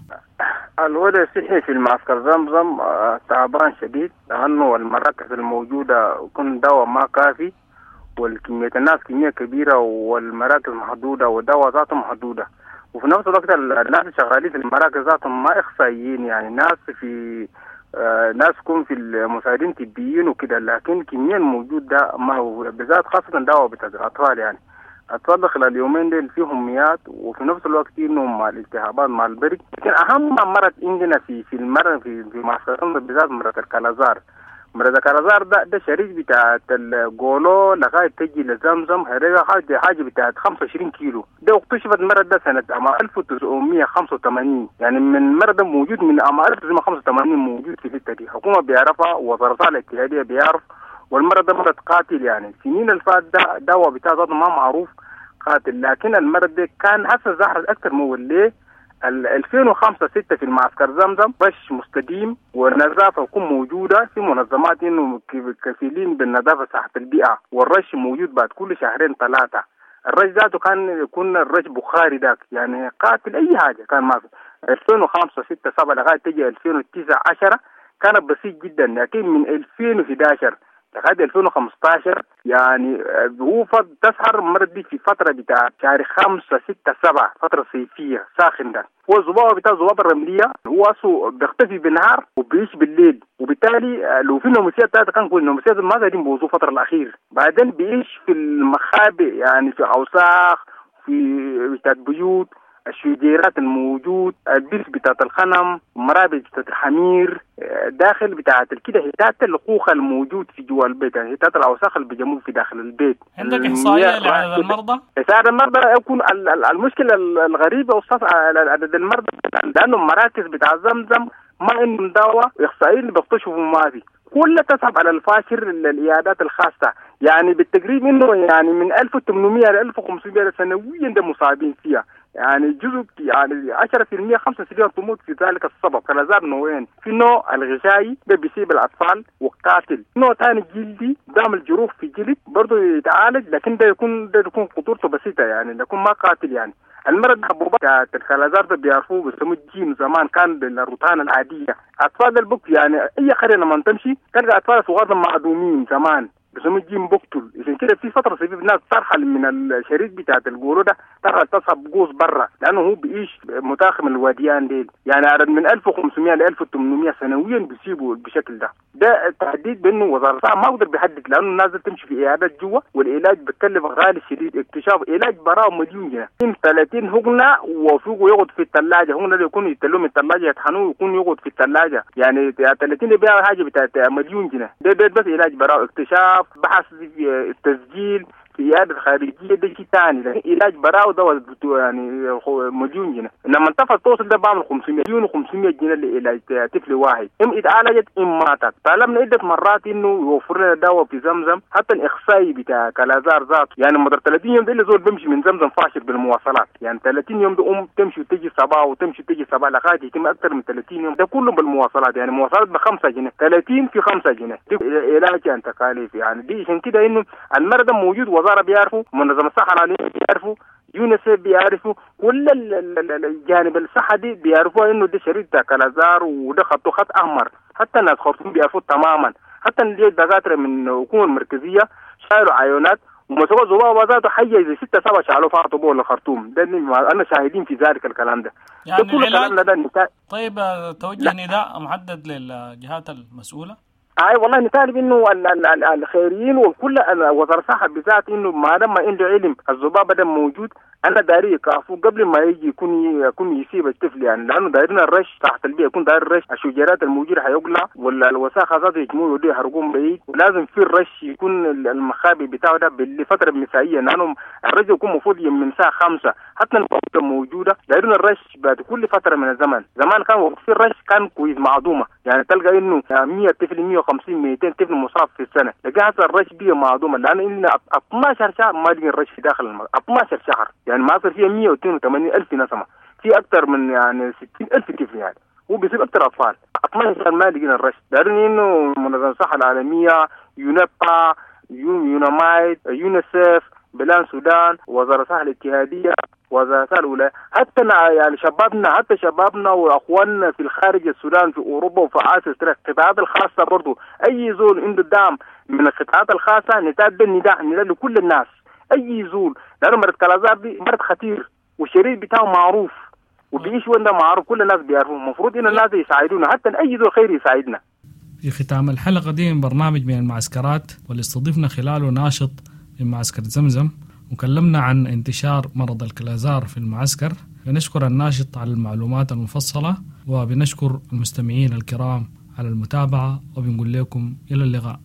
الوضع الصحي في المعسكر زمزم تعبان شديد، لأنه المراكز الموجودة يكون دواء ما كافي، والكمية الناس كمية كبيرة، والمراكز محدودة، والدواء ذاته محدودة. وفي نفس الوقت الناس شغالين في المراكز ذاتهم ما إخصائيين، يعني ناس في آه ناس يكون في المساعدين طبيين وكده، لكن كمية الموجود ده ما هو بالذات خاصة دواء بتاع الأطفال. يعني أطفال خلال يومين دول فيهم ميات، وفي نفس الوقت إنهم مع الالتهابات مع البرد. لكن أهم مرض عندنا في في المرض في في معسكر بالذات مرض الكلازار. مرض الكلازار ده ده شريك بتاعت الجولو لغاية تجي لزمزم، هذا حاجة حاجة بتاعت خمسة وعشرين كيلو. ده اكتشفت المرض ده سنة عام ألف وتسعمية وخمسة وثمانين، يعني من المرض ده موجود من عام ألف وتسعمية وخمسة وثمانين موجود في الحتة دي. الحكومة بيعرفها، ووزارة الاتحادية بيعرف، والمرض ده مرض قاتل. يعني سنين الفات ده دواء بتاع ذاته ما معروف قاتل، لكن المرض ده كان هسه ظهر أكثر من ليه ألفين وخمسة ستة في المعسكر زمزم بش مستديم، والنظافة تكون موجودة في منظمات إنه كفيلين بالنظافة صحة البيئة، والرش موجود بعد كل شهرين ثلاثة. الرش ذاته كان يكون الرش بخاري ذاك، يعني قاتل أي حاجة كان ما في. ألفين وخمسة ستة سبعة لغاية تجي ألفين وتسعة عشرة كانت بسيط جدا، لكن من ألفين وإحدى عشر لغاية ألفين وخمسة عشر يعني هو تسهر المرض دي في فترة بتاع شهر خمسة ستة سبعة، فترة صيفية ساخن ده. هو الذبابة بتاع الذبابة الرملية هو أصله بيختفي بالنهار وبيعيش بالليل، وبالتالي لو في ناموسيات بتاعته كان كل الناموسيات ما قاعدين بوظوه الفترة الأخير. بعدين بيعيش في المخابئ، يعني في أوساخ، في بتاعت بيوت، الشجيرات الموجود، البيس بتاعت الخنم، المرابط بتاعت الحمير، داخل بتاعت كده هتات الخوخة الموجود في جوا البيت، يعني هتات الأوساخ اللي بيجموه في داخل البيت. عندك إحصائية لعدد المرضى؟ عدد المرضى يكون المشكلة الغريبة أستاذ عدد المرضى، لأنه المراكز بتاع زمزم ما عندهم دواء، إحصائيين اللي بيكتشفوا ما في، كلها تسحب على الفاشر العيادات الخاصة. يعني بالتقريب إنه يعني من ألف وثمانمية ل ألف وخمسمية سنويا ده مصابين فيها، يعني جزء يعني عشرة في المية خمسة في المية تموت في ذلك السبب. كلازار نوعين، في نوع الغشائي ده بيصيب الأطفال وقاتل، نوع ثاني جلدي بيعمل جروح في جلد برضه يتعالج، لكن ده يكون ده يكون خطورته بسيطة، يعني يكون ما قاتل. يعني المرض حبوبات بتاعت الكلازار ده بيعرفوه بيسموه الجيم، زمان كان بالروتان العادية. أطفال البك يعني أي قرية لما تمشي تلقى أطفال صغار معدومين زمان، بسموه جيم بقتل. عشان كده في فترة في ناس ترحل من الشريط بتاعت الجولو ده، ترحل تصحب قوس برا، لانه هو بيعيش متاخم الواديان ديل. يعني عدد من ألف وخمسمية ل ألف وثمانمية سنويا بيسيبوا بالشكل ده. ده تهديد بانه وزارة الصحة ما اقدر بيحدد، لانه الناس تمشي في عيادات جوا، والعلاج بتكلف غالي شديد. اكتشاف علاج براه مليون جنيه، ثلاثين هجنه وفوقه يقعد في الثلاجة، هجنه يكون يتلوه من الثلاجة يطحنوه ويكون يقعد في الثلاجة، يعني ثلاثين بيع حاجة بتاعت مليون جنيه. ده, ده بس علاج براه، اكتشاف، بحث، التسجيل في عيادة خارجية ده شيء ثاني، لكن علاج براو ده يعني مليون جنيه. لما انتفض توصل ده بعمل خمسمية مليون وخمسمية جنيه لعلاج طفل واحد، ام اتعالجت ام ماتت. طالبنا عدة مرات انه يوفر لنا دواء في زمزم، حتى الاخصائي بتاع كلازار ذاته، يعني مدار ثلاثين يوم ده اللي زول بمشي من زمزم فاشل بالمواصلات، يعني ثلاثين يوم ده ام تمشي وتجي صباح وتمشي وتجي صباح لغاية يتم اكثر من ثلاثين يوم، ده كله بالمواصلات، يعني مواصلات بخمسة جنيه، ثلاثين في خمسة جنيه، دي علاج يعني تكاليف يعني دي. عشان كده انه المرض موجود، وزارة بيعرفوا، منظمة الصحة العالمية بيعرفوا، يونيسف بيعرفوا، كل الجانب الصحة دي بيعرفوا انه ده شريط كلازار وده خطه خط احمر. حتى الناس خرطوم بيعرفوا تماما، حتى الدكاترة من الحكومة المركزية شالوا عيونات ومسكوا ذبابة ذاته حيه زي ستة سبعة شالوا فاطوا بول الخرطوم ده، انا شاهدين في ذلك الكلام ده. يعني ده كل الكلام ده نتا... طيب توجه نداء محدد للجهات المسؤولة؟ اي والله نطالب انه الخيريين وكل وزارة الصحة بالذات انه ما دام عنده علم الذبابة ده موجود، انا داري يكافو قبل ما يجي يكون يكون يسيب الطفل، يعني لانه دايرين الرش تحت البيئة، يكون داير الرش، الشجيرات الموجودة حيقلع ولا الوساخه ذاته يجمعوا يودوا يحرقوهم بعيد، ولازم في الرش يكون المخابئ بتاعه ده بالفترة المسائيه، لانه الرش يكون المفروض من الساعة خمسة حتى الوقت موجودة. دايرين الرش بعد كل فترة من الزمن، زمان كان وقت في الرش كان كويس معدومة، يعني تلقى انه مية طفل مية وخمسين ميتين طفل مصاب في السنة، لكن هسه الرش بيه معدومة، لانه إلنا اثناشر شهر ما لقينا الرش في داخل المرض، اثناشر شهر يعني ما صار فيها مية واثنين وثمانين ألف نسمة، في أكثر من يعني ستين ألف طفل، يعني هو بيصيب أكثر أطفال. اثناشر شهر ما لقينا الرش. دارين إنه منظمة الصحة العالمية، يونبا، يونامايد، يونيسف، بلان سودان، وزارة الصحة الاتحادية، وزارة الصحة الولاية، حتى يعني شبابنا، حتى شبابنا وأخواننا في الخارج السودان في أوروبا وفي آسيا، القطاعات الخاصة برضو، أي زول عنده دعم من القطاعات الخاصة نتابع النداء، نداء لكل الناس، اي زول، لانه مرض كلازار دي مرض خطير والشريط بتاعه معروف وبيعيش وين ده معروف، كل الناس بيعرفوه، المفروض ان الناس يساعدونا، حتى اي زول خير يساعدنا. في ختام الحلقة دي من برنامج من المعسكرات، واللي استضفنا خلاله ناشط من معسكر زمزم وكلمنا عن انتشار مرض الكلازار في المعسكر. بنشكر الناشط على المعلومات المفصلة، وبنشكر المستمعين الكرام على المتابعة، وبنقول لكم إلى اللقاء.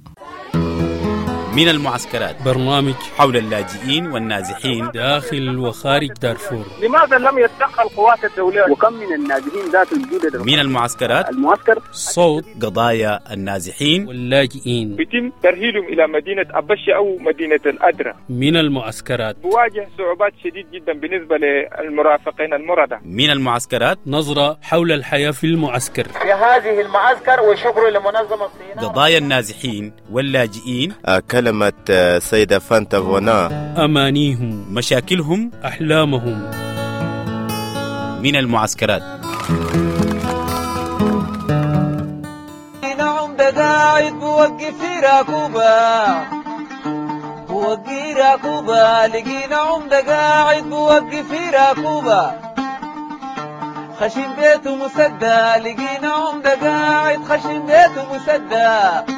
من المعسكرات، برنامج حول اللاجئين والنازحين داخل وخارج دارفور. لماذا لم يتدخل قوات الدولة؟ وكم من النازحين ذات الجودة من المعسكرات، المعسكر صوت قضايا النازحين واللاجئين، بيتم ترهيلهم إلى مدينة أبشة أو مدينة الأدرة. من المعسكرات بواجه صعوبات شديد جدا بالنسبة للمرافقين المرضى. من المعسكرات، نظرة حول الحياة في المعسكر في هذه المعسكر، وشكر لمنظمة الصينية. قضايا النازحين واللاجئين، كلمة سيدة فانتا فونا، أمانيهم، مشاكلهم، أحلامهم. من المعسكرات. نعم قاعد بوقف راكوبة، بوقي راكوبة، لقينا عمدة قاعد بوقف راكوبة، خشم بيته مسدى، لقينا عمدة قاعد خشم بيته مسدى،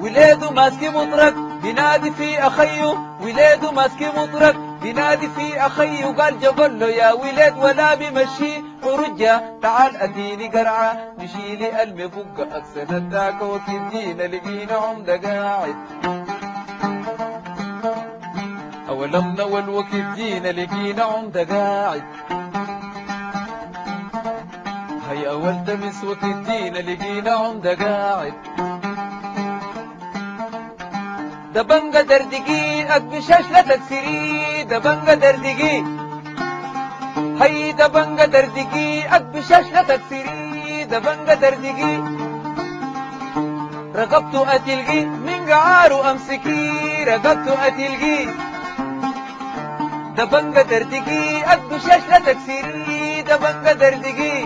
وليده ماسك مطرق بينادي في أخيه، وليده ماسك مطرق بينادي في أخيه، قال جبل له يا ولاد ولا بمشي ورجع، تعال أديني قرعة نشيلي المفقة أكسر الداك وكدينا، لقينا عمدة قاعد أولمنا والوكدينا، لقينا عمدة قاعد هيا أول تمس وكدينا، لقينا عمدة قاعد دبنجة دردقي أكبشاش لا تكسري، دبنجة دردقي هي دبنجة دردقي أكبشاش لا تكسري، دبنجة دردقي رقبته أتلقي من قعاره أمسكي، رقبته أتلقي دبنجة دردقي أكبشاش لا تكسري، دبنجة دردقي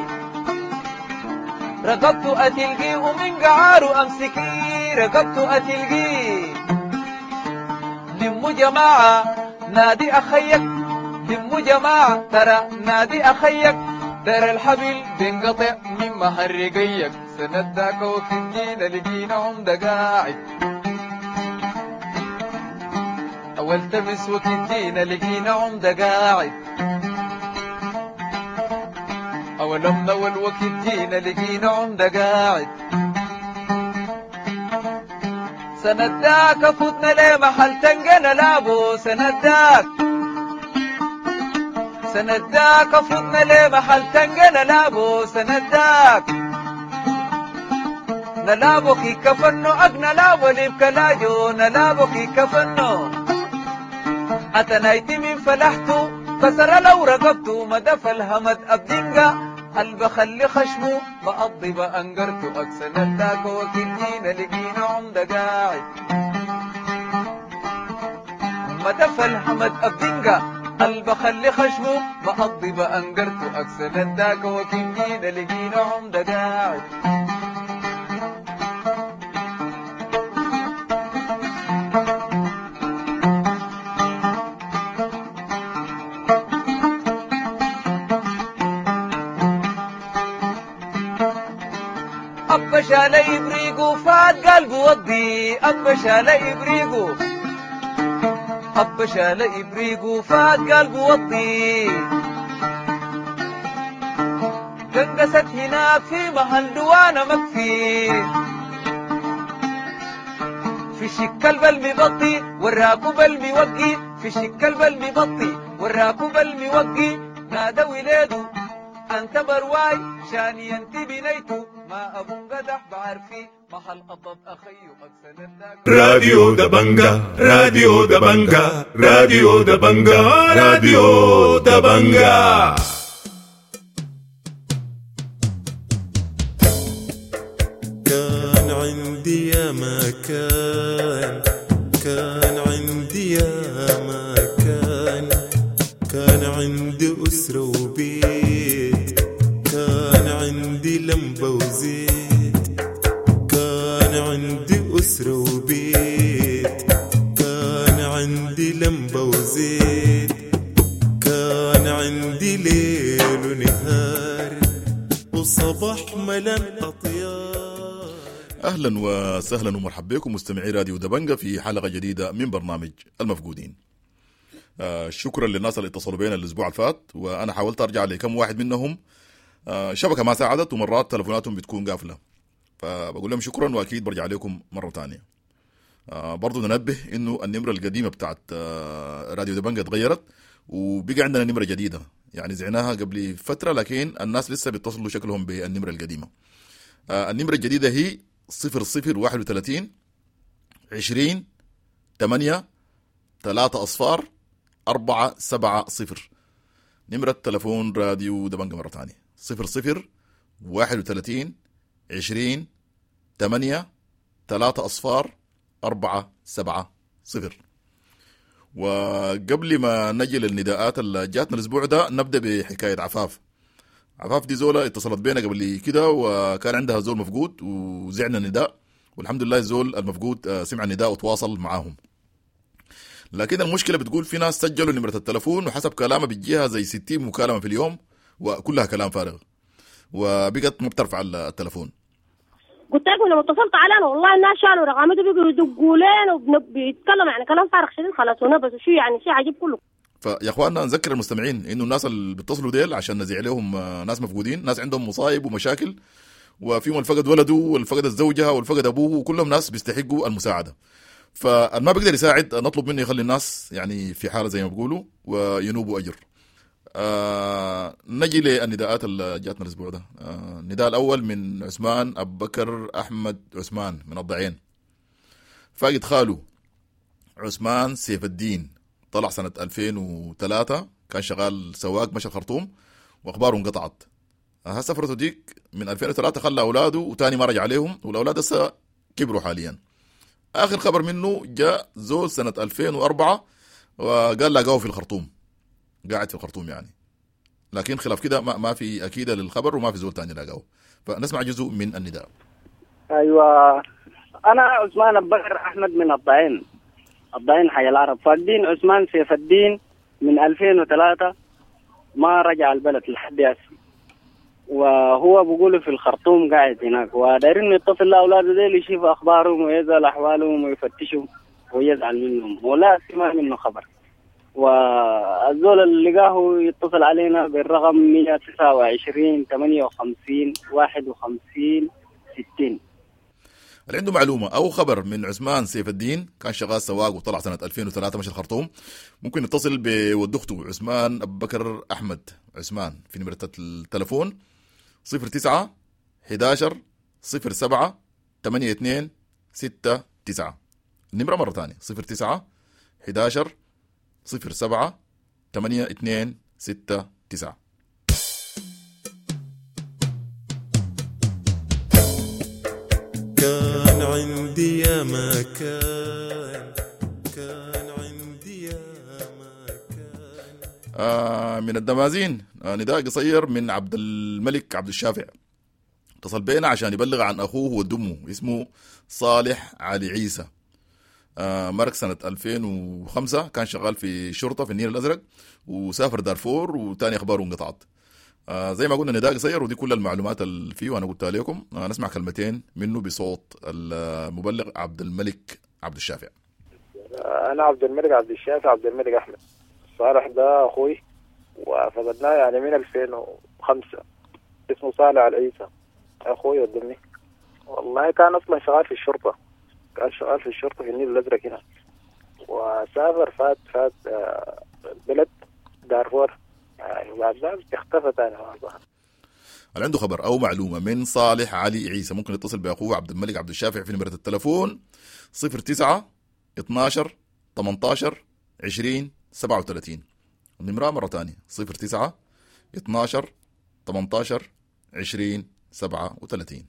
رقبته أتلقي ومن قعاره أمسكي، رقبته أتلقي. لمو جماعة نادي أخيك، لمو جماعة ترى نادي أخيك، ترى الحبل بينقطع من مهرقيك. سنداك وقت جينا لقينا عمدة قاعد، أول تمس وقت جينا لقينا عمدة قاعد، أول أمنا والوقت جينا لقينا عمدة قاعد. سنداك فتنا ليه محل تنقنا لابو، سنداك سنداك فتنا ليه محل تنقنا لابو، سنداك نلابو كي كفنو أقنا لابو لبكلاجو، نلابو كي كفنو أتنايتي من فلحتو كسر لو رقبتو، مدف الهمد أبدنقا البخلي خشمو بقضي بأنقرتو. أكسنداك وكدينا لقينا عمدة قاعد، مدف الهمد أبدنقا البخلي خشمو بقضي بأنقرتو. أكسنداك وكدينا لقينا عمدة قاعد. أبا شال إبريقو فات قلبه وضي، أبا شال إبريقو أبا شال إبريقو فات قلبه وضي، قنقست هناك في محل دوانا مكفي، في شكل بالمبطي والراكب الموقي، في شكل بالمبطي والراكب الموقي، نادى ولادو أنت برواي شاني أنت بنيتو، ما أبو قدح بعرفي محل قطب أخيو. راديو دبنجا، راديو دبنجا، راديو دبنجا، راديو دبنجا. كان عندي يا مكان، كان عندي يا مكان، كان عندي أسرة وبيت، كان عندي لمبة وزيت، كان عندي أسرة وبيت، كان عندي لمبة وزيت، كان عندي ليل ونهار وصباح ملان أطيار. أهلا وسهلا ومرحبا بكم مستمعي راديو دبنجة في حلقة جديدة من برنامج المفقودين. آه شكرا للناس اللي اتصلوا بينا الأسبوع الفات، وأنا حاولت أرجع لكم واحد منهم، آه شبكة ما ساعدت ومرات تلفوناتهم بتكون قافلة، فبقول لهم شكرا وأكيد برجع لكم مرة تانية. آه برضو ننبه إنه النمرة القديمة بتاعت آه راديو دبنجة اتغيرت وبقى عندنا نمرة جديدة، يعني زعناها قبل فترة لكن الناس لسه بيتصلوا شكلهم بالنمرة القديمة. آه النمرة الجديدة هي صفر صفر واحد وثلاثين عشرين ثمانية ثلاثة أصفار أربعة سبعة صفر. نمرة تلفون راديو دبنجة مرة تانية صفر صفر واحد وثلاثين عشرين ثمانية ثلاثة أصفار أربعة سبعة صفر. وقبل ما نجي للنداءات اللي جاتنا الأسبوع ده نبدأ بحكاية عفاف. عفاف دي زولة اتصلت بينا قبل كده وكان عندها زول مفقود وزعنا النداء، والحمد لله الزول المفقود سمع النداء وتواصل معاهم. لكن المشكلة بتقول في ناس سجلوا نمرة التلفون وحسب كلامه بتجيها زي ستين مكالمة في اليوم وكلها كلام فارغ وبقت ما بترفع التلفون. قلت لكم لما اتصلت علينا والله الناس شالوا رقمته بيقوا يدقوا لنا وبيتكلم يعني كلام فارغ شديد خلاص ونبس وشو يعني شيء عجيب كله. فيا اخواننا نذكر المستمعين انه الناس اللي بيتصلوا ديل عشان نزيع لهم ناس مفقودين، ناس عندهم مصايب ومشاكل، وفيهم الفقد ولده والفقد الزوجة والفقد ابوه، وكلهم ناس بيستحقوا المساعدة. فالما بيقدر يساعد نطلب منه يخلي الناس يعني في حاله زي ما بيقولوا وينوبوا اجر. آه نجي للنداءات اللي جاتنا الاسبوع ده. آه النداء الاول من عثمان ابو بكر احمد عثمان من الضعين، فاقد خاله عثمان سيف الدين، طلع سنة ألفين وثلاثة، كان شغال سواق مشى الخرطوم واخباره انقطعت. ها سفرته ديك من ألفين وثلاثة خلى اولاده وتاني ما رجع عليهم، والاولاد هسه كبروا حاليا. اخر خبر منه جاء زول سنة ألفين وأربعة وقال لاقوه في الخرطوم، قاعد في الخرطوم يعني، لكن خلاف كده ما, ما في اكيدة للخبر وما في زول تاني لاقوه. فنسمع جزء من النداء. ايوه، انا عثمان ابو بكر احمد من الضعين. الضعين حي العرب. فاقدين عثمان سيف الدين من ألفين وثلاثة ما رجع البلد لحد هسه، وهو بيقولوا في الخرطوم قاعد هناك، ودايرين يتصل لاولاده ديل يشوفوا اخبارهم ويزال احوالهم ويفتشهم ويزعل منهم، ولا سمع منه خبر. والزول اللي لقاه يتصل علينا بالرقم مية وتسعة وعشرين ثمانية وخمسين واحد وخمسين ستين. اللي عنده معلومة أو خبر من عثمان سيف الدين، كان شغال سواق وطلع سنة ألفين وثلاثة مشى الخرطوم، ممكن يتصل بود أخته عثمان أبو بكر أحمد عثمان في نمرة التلفون صفر تسعة أحد عشر صفر سبعة ثمانية اثنين ستة تسعة. النمرة مرة ثانية صفر تسعة أحد عشر صفر سبعة ثمانية اثنين ستة تسعة. كان عندي يا مكان، كان عندي يا مكان. آه من الدمازين آه نداء قصير من عبد الملك عبد الشافع، اتصل بينا عشان يبلغ عن أخوه ودمه اسمه صالح علي عيسى. آه مرق سنة ألفين وخمسة، كان شغال في شرطة في النيل الأزرق وسافر دارفور وتاني أخباره انقطعت. آه زي ما قلنا نداء قصير ودي كل المعلومات اللي فيه وأنا قلتها لكم. آه نسمع كلمتين منه بصوت المبلغ عبد الملك عبد الشافع. أنا عبد الملك عبد الشافع عبد الملك أحمد. صالح ده أخوي وفقدناه يعني من ألفين وخمسة، اسمه صالح علي عيسى أخوي قدمني. والله كان أصلا شغال في الشرطة، كان شغال في الشرطة في النيل الأزرق هنا، وسافر فات فات بلد دارفور يعني، وبعد ذلك اختفى تاني. اللي عنده خبر أو معلومة من صالح علي عيسى ممكن يتصل بأخوه عبد الملك عبد الشافع في نمرة التلفون صفر تسعة اثناشر ثمانتاشر عشرين سبعة وثلاثين. النمرة مرة تانية صفر تسعة اثناشر ثمانتاشر عشرين سبعة وثلاثين.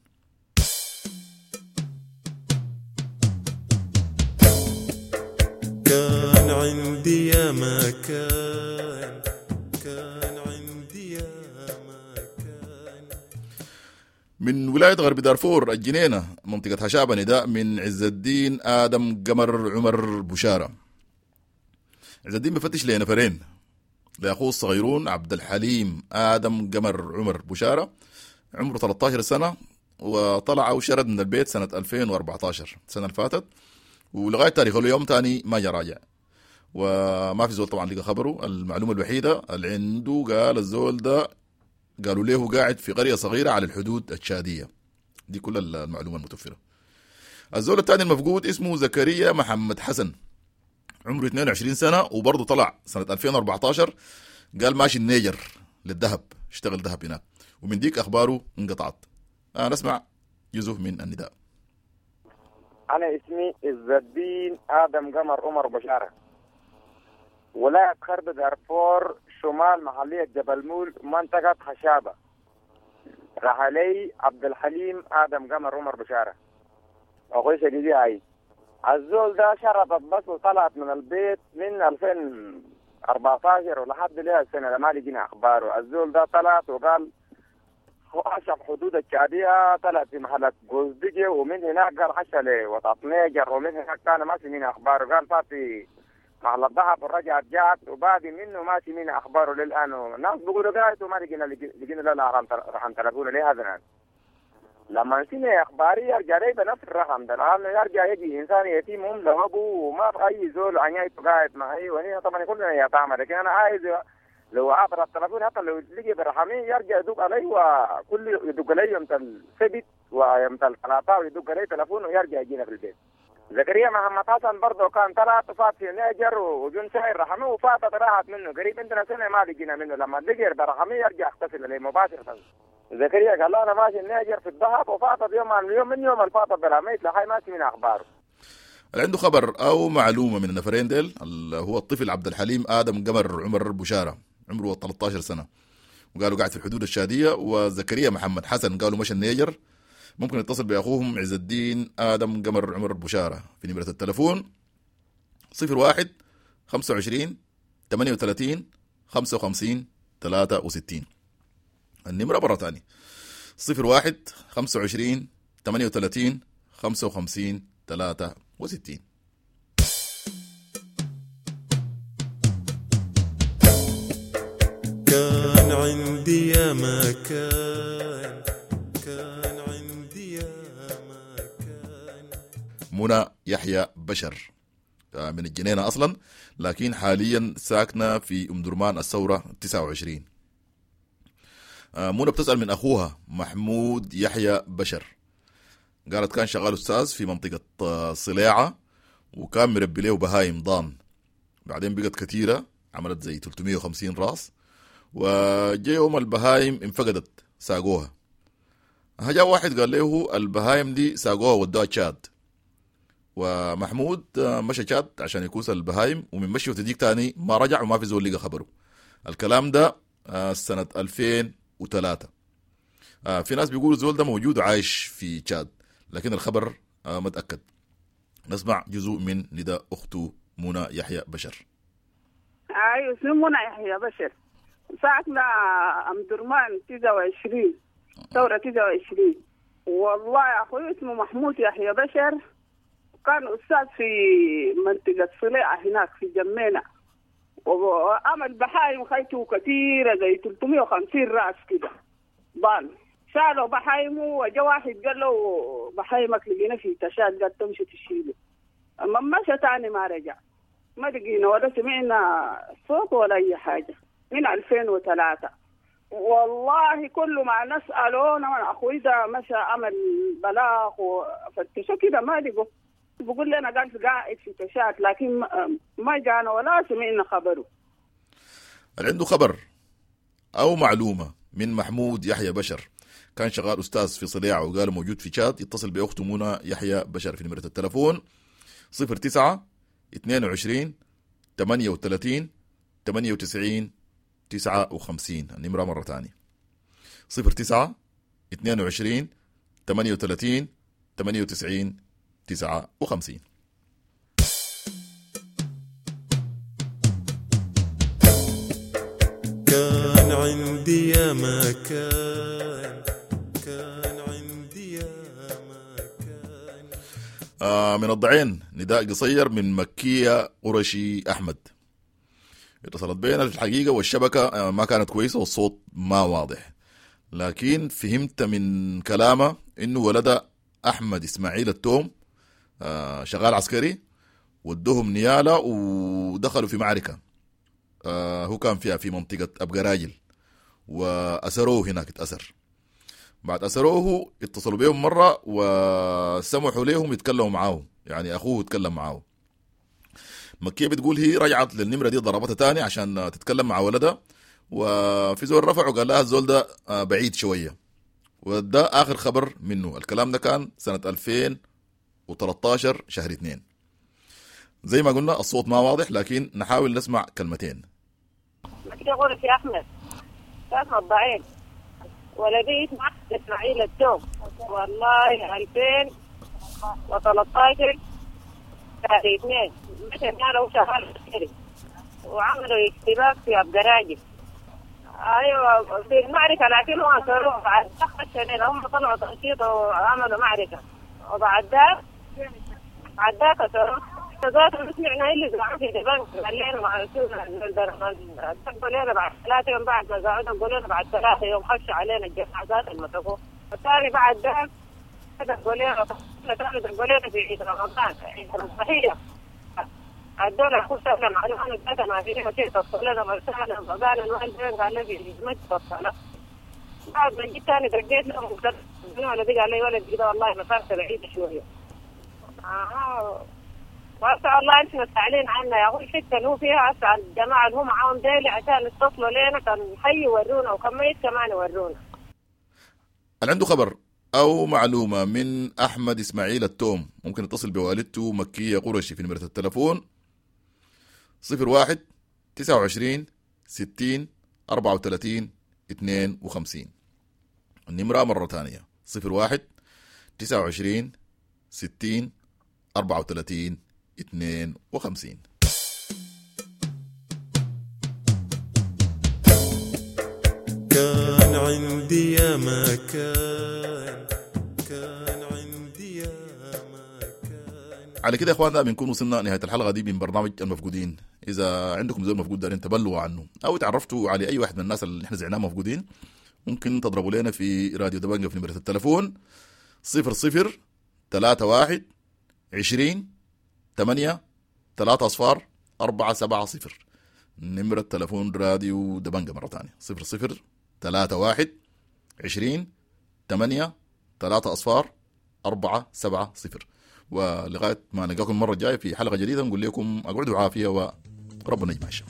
كان عندي يا مكان، كان عندي يا مكان. من ولاية غرب دارفور الجنينة منطقة هشابة نداء من عز الدين آدم قمر عمر بشارة. عز الدين بفتش لنفرين، لأخوه الصغيرون عبد الحليم آدم قمر عمر بشارة عمره ثلاثة عشر سنة، وطلع وشرد من البيت سنة ألفين وأربعة عشر السنة اللي فاتت، ولغاية تاريخ اليوم تاني ما جا راجع وما في زول طبعا لقى خبره. المعلومة الوحيدة اللي عنده قال الزول ده قالوا له قاعد في قرية صغيرة على الحدود التشادية. دي كل المعلومة المتوفرة. الزول الثاني المفقود اسمه زكريا محمد حسن عمره اثنين وعشرين سنة، وبرضه طلع سنة ألفين وأربعة عشر قال ماشي النيجر للذهب، اشتغل ذهب هناك، ومن ديك أخباره انقطعت. أنا نسمع جزء من النداء. أنا اسمي عز الدين آدم قمر عمر بشارة، ولاية غرب دارفور شمال محلية جبل مول منطقة خشابة. رحلي عبد الحليم آدم قمر عمر بشارة أخوي شديدي. هاي الزول ده شرطت بس وطلعت من البيت من ألفين وأربعة عشر ولحد لها السنة ما لقينا أخباره. الزول ده طلعت وقال عشان حدود الشعبية، طلعت في محلة جوزدجي ومن هناك قال حشا لوطاط نيجر، ومن هناك كان ما في من أخباره. قال فات في محل الذهب ورجعت جات وبعد منه ما في من أخباره للآن. الناس بيقولوا قاعد وما لقينا لقينا لا رقم تلفونه ليه هذا الآن. لما نسينا أخباري يرجع لي بنفس الرقم ده، لأنه يرجع يجي إنسان يتيم هم له أبوه وما في أي زول عنيته قاعد معي، وهنا طبعا كلنا يتعامل. لكن أنا عايز لو عبر التلفون حتى لو لقي برحمي يرجع يدق علي، وكل يدق علي يوم السبت ويوم الثلاثاء ويدق علي تلفون ويرجع يجينا في البيت. زكريا محمد حسن برضه كان طلع وفات في نيجر وجون شاير رحمه وفاتت راحت منه قريب عندنا سنه ما لقينا منه. لما لقي برحمي يرجع اغتسل عليه مباشره. زكريا قال له انا ماشي النيجر في الذهب وفاتت يوم عن يوم من يوم الفاتت برحمي لحي ماشي من اخباره. اللي عنده خبر او معلومه من النفرين ديل اللي هو الطفل عبد الحليم ادم قمر عمر بشاره عمره ثلاثة عشر سنه وقالوا قاعد في الحدود الشاديه، وزكريا محمد حسن قالوا مشى النيجر، ممكن يتصل باخوهم عز الدين ادم قمر عمر بشاره في نمره التلفون صفر واحد خمسة وعشرين ثمانية وثلاثين خمسة وخمسين ثلاثة وستين. النمره مره ثانيه صفر واحد خمسة وعشرين ثمانية وثلاثين خمسة وخمسين ثلاثة وستين. يا مكان، كان عندي يا مكان. منى يحيى بشر من الجنينة أصلا، لكن حاليا ساكنة في أم درمان الثورة تسعة وعشرين. منى بتسأل من أخوها محمود يحيى بشر، قالت كان شغال أستاذ في منطقة صلاعة وكان مربي له بهايم ضان، بعدين بقت كثيرة عملت زي ثلاثمية وخمسين راس، وجاء يوم البهايم انفقدت ساقوها. جاء واحد قال له البهايم دي ساقوها ودوها تشاد، ومحمود مشى تشاد عشان يكوس البهايم، ومن مشي وتديك تاني ما رجع وما في زول لقى خبره. الكلام ده سنة ألفين وثلاثة. في ناس بيقولوا الزول ده موجود عايش في تشاد، لكن الخبر ما تأكد. نسمع جزء من نداء أخته منى يحيى بشر. أيوة اسمي منى يحيى بشر، ساكنة أم درمان تسعة وعشرين، ثورة تسعة وعشرين. والله يا أخوي اسمه محمود يحيى بشر، كان أستاذ في منطقة صليعة هناك في جمينة، وعمل بحايم خيته كثيرة زي ثلاثمية وخمسين رأس كده ضال. شالوا بحايمه وجا واحد قال له بحايمك لقينا في تشاد، قال تمشي تشيله. أما مشى تاني ما رجع، ما لقينا ولا سمعنا صوت ولا أي حاجة من ألفين وثلاثة. والله كل ما نسأله أنا أخوي ده مشى عمل بلاغ وفتشوا كده ما لقوا، بقول لنا قال قاعد في تشاد، لكن ما جانا ولا سمعنا خبره. اللي عنده خبر أو معلومة من محمود يحيى بشر، كان شغال أستاذ في صليعة وقال موجود في تشاد، يتصل بأخته منى يحيى بشر في نمرة التلفون صفر تسعة اثنين وعشرين ثمانية وثلاثين ثمانية وتسعين تسعة وخمسين. النمرة مرة تانية صفر تسعة اثنين وعشرين ثمانية وثلاثين ثمانية وتسعين تسعة وخمسين. كان عندي يا مكان، كان عندي يا مكان. آه من الضعين نداء قصير من مكية قرشي أحمد. اتصلت بينا الحقيقة والشبكة ما كانت كويسة والصوت ما واضح، لكن فهمت من كلامه إنه ولده أحمد إسماعيل التوم شغال عسكري، ودوهم نيالة ودخلوا في معركة هو كان فيها في منطقة أبقراجل، وأسروه هناك اتأسر. بعد أسروه اتصلوا بيهم مرة وسمحوا لهم يتكلموا معاه، يعني أخوه يتكلم معاه. مكية بتقول هي رجعت للنمرة دي ضربتها تاني عشان تتكلم مع ولدها، وفي زول رفع وقال لها الزول ده بعيد شوية، وده آخر خبر منه. الكلام ده كان سنة ألفين وثلاثة عشر شهر اثنين. زي ما قلنا الصوت ما واضح، لكن نحاول نسمع كلمتين. مكية قرشي أحمد، ساكنة الضعين، ولدي اسمه إسماعيل التوم. والله ألفين وثلاثة عشر شهر اثنين مشى قالوا شغال عسكري وعملوا اشتباك في أبقراجل. ايوه في المعركه، لكن هو أسروه بعد خش هم طلعوا تنشيط وعملوا معركه، وبعد ذاك بعد ذاك أسروه. ذاته سمعنا اللي زعوا في دبنك قال لنا مع دقوا لنا بعد ثلاثة يوم، بعد ما زعوا دقوا لنا بعد ثلاثة يوم خشوا علينا الجماعة ذات المسكوه. الثاني بعد ذاك دقوا لنا ثاني دقوا لنا في عيد رمضان عيد الضحية، الدولة خشوا لنا معلومة ذاتها ما فيها شيء، تصل لنا مرسالة قال الوالدين قال لي ما تتصل. بعد ما جيت ثاني دقيت لهم ولا دق علي ولد كده والله مسافة بعيدة شوية. آه وأسأل الله أنتم سائلين عنا يا أخوي، الحتة اللي هو فيها أسأل الجماعة اللي هم معاهم ديلي عشان يتصلوا لنا، كان حي يورونا وكان ميت كمان يورونا. اللي عنده خبر أو معلومة من أحمد إسماعيل التوم ممكن يتصل بوالدته مكية قرشي في نمرة التلفون صفر واحد تسعة وعشرين ستين أربعة وثلاثين اثنين وخمسين. النمرة مرة ثانية صفر واحد تسعة وعشرين ستين أربعة وثلاثين اثنين وخمسين. كان عندي يا مكان، كان عندي يا مكان. على كده يا اخواننا بنكون وصلنا نهاية الحلقة دي من برنامج المفقودين. إذا عندكم زول مفقود دارين تبلغوا عنه أو تعرفتوا على أي واحد من الناس اللي احنا زعناه مفقودين، ممكن تضربوا لنا في راديو دبنجة في نمرة التلفون صفر صفر ثلاثة واحد عشرين ثمانية ثلاثة أصفار أربعة سبعة صفر. نمرة تلفون راديو دبنجة مرة ثانية صفر صفر ثلاثة واحد عشرين ثمانية ثلاثة أصفار أربعة سبعة صفر. ولغاية ما نلقاكم المرة الجاية في حلقة جديدة نقول لكم أقعدوا عافية وربنا يجمع الشمل.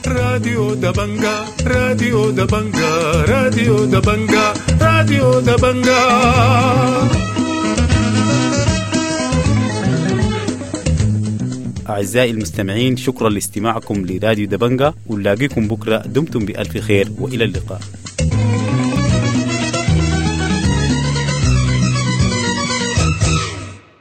راديو دبنجا، راديو دبنجا، راديو دبنجا، راديو دبنجا. أعزائي المستمعين، شكرا لاستماعكم لراديو دبنجا، ونلاقيكم بكرة. دمتم بألف خير وإلى اللقاء.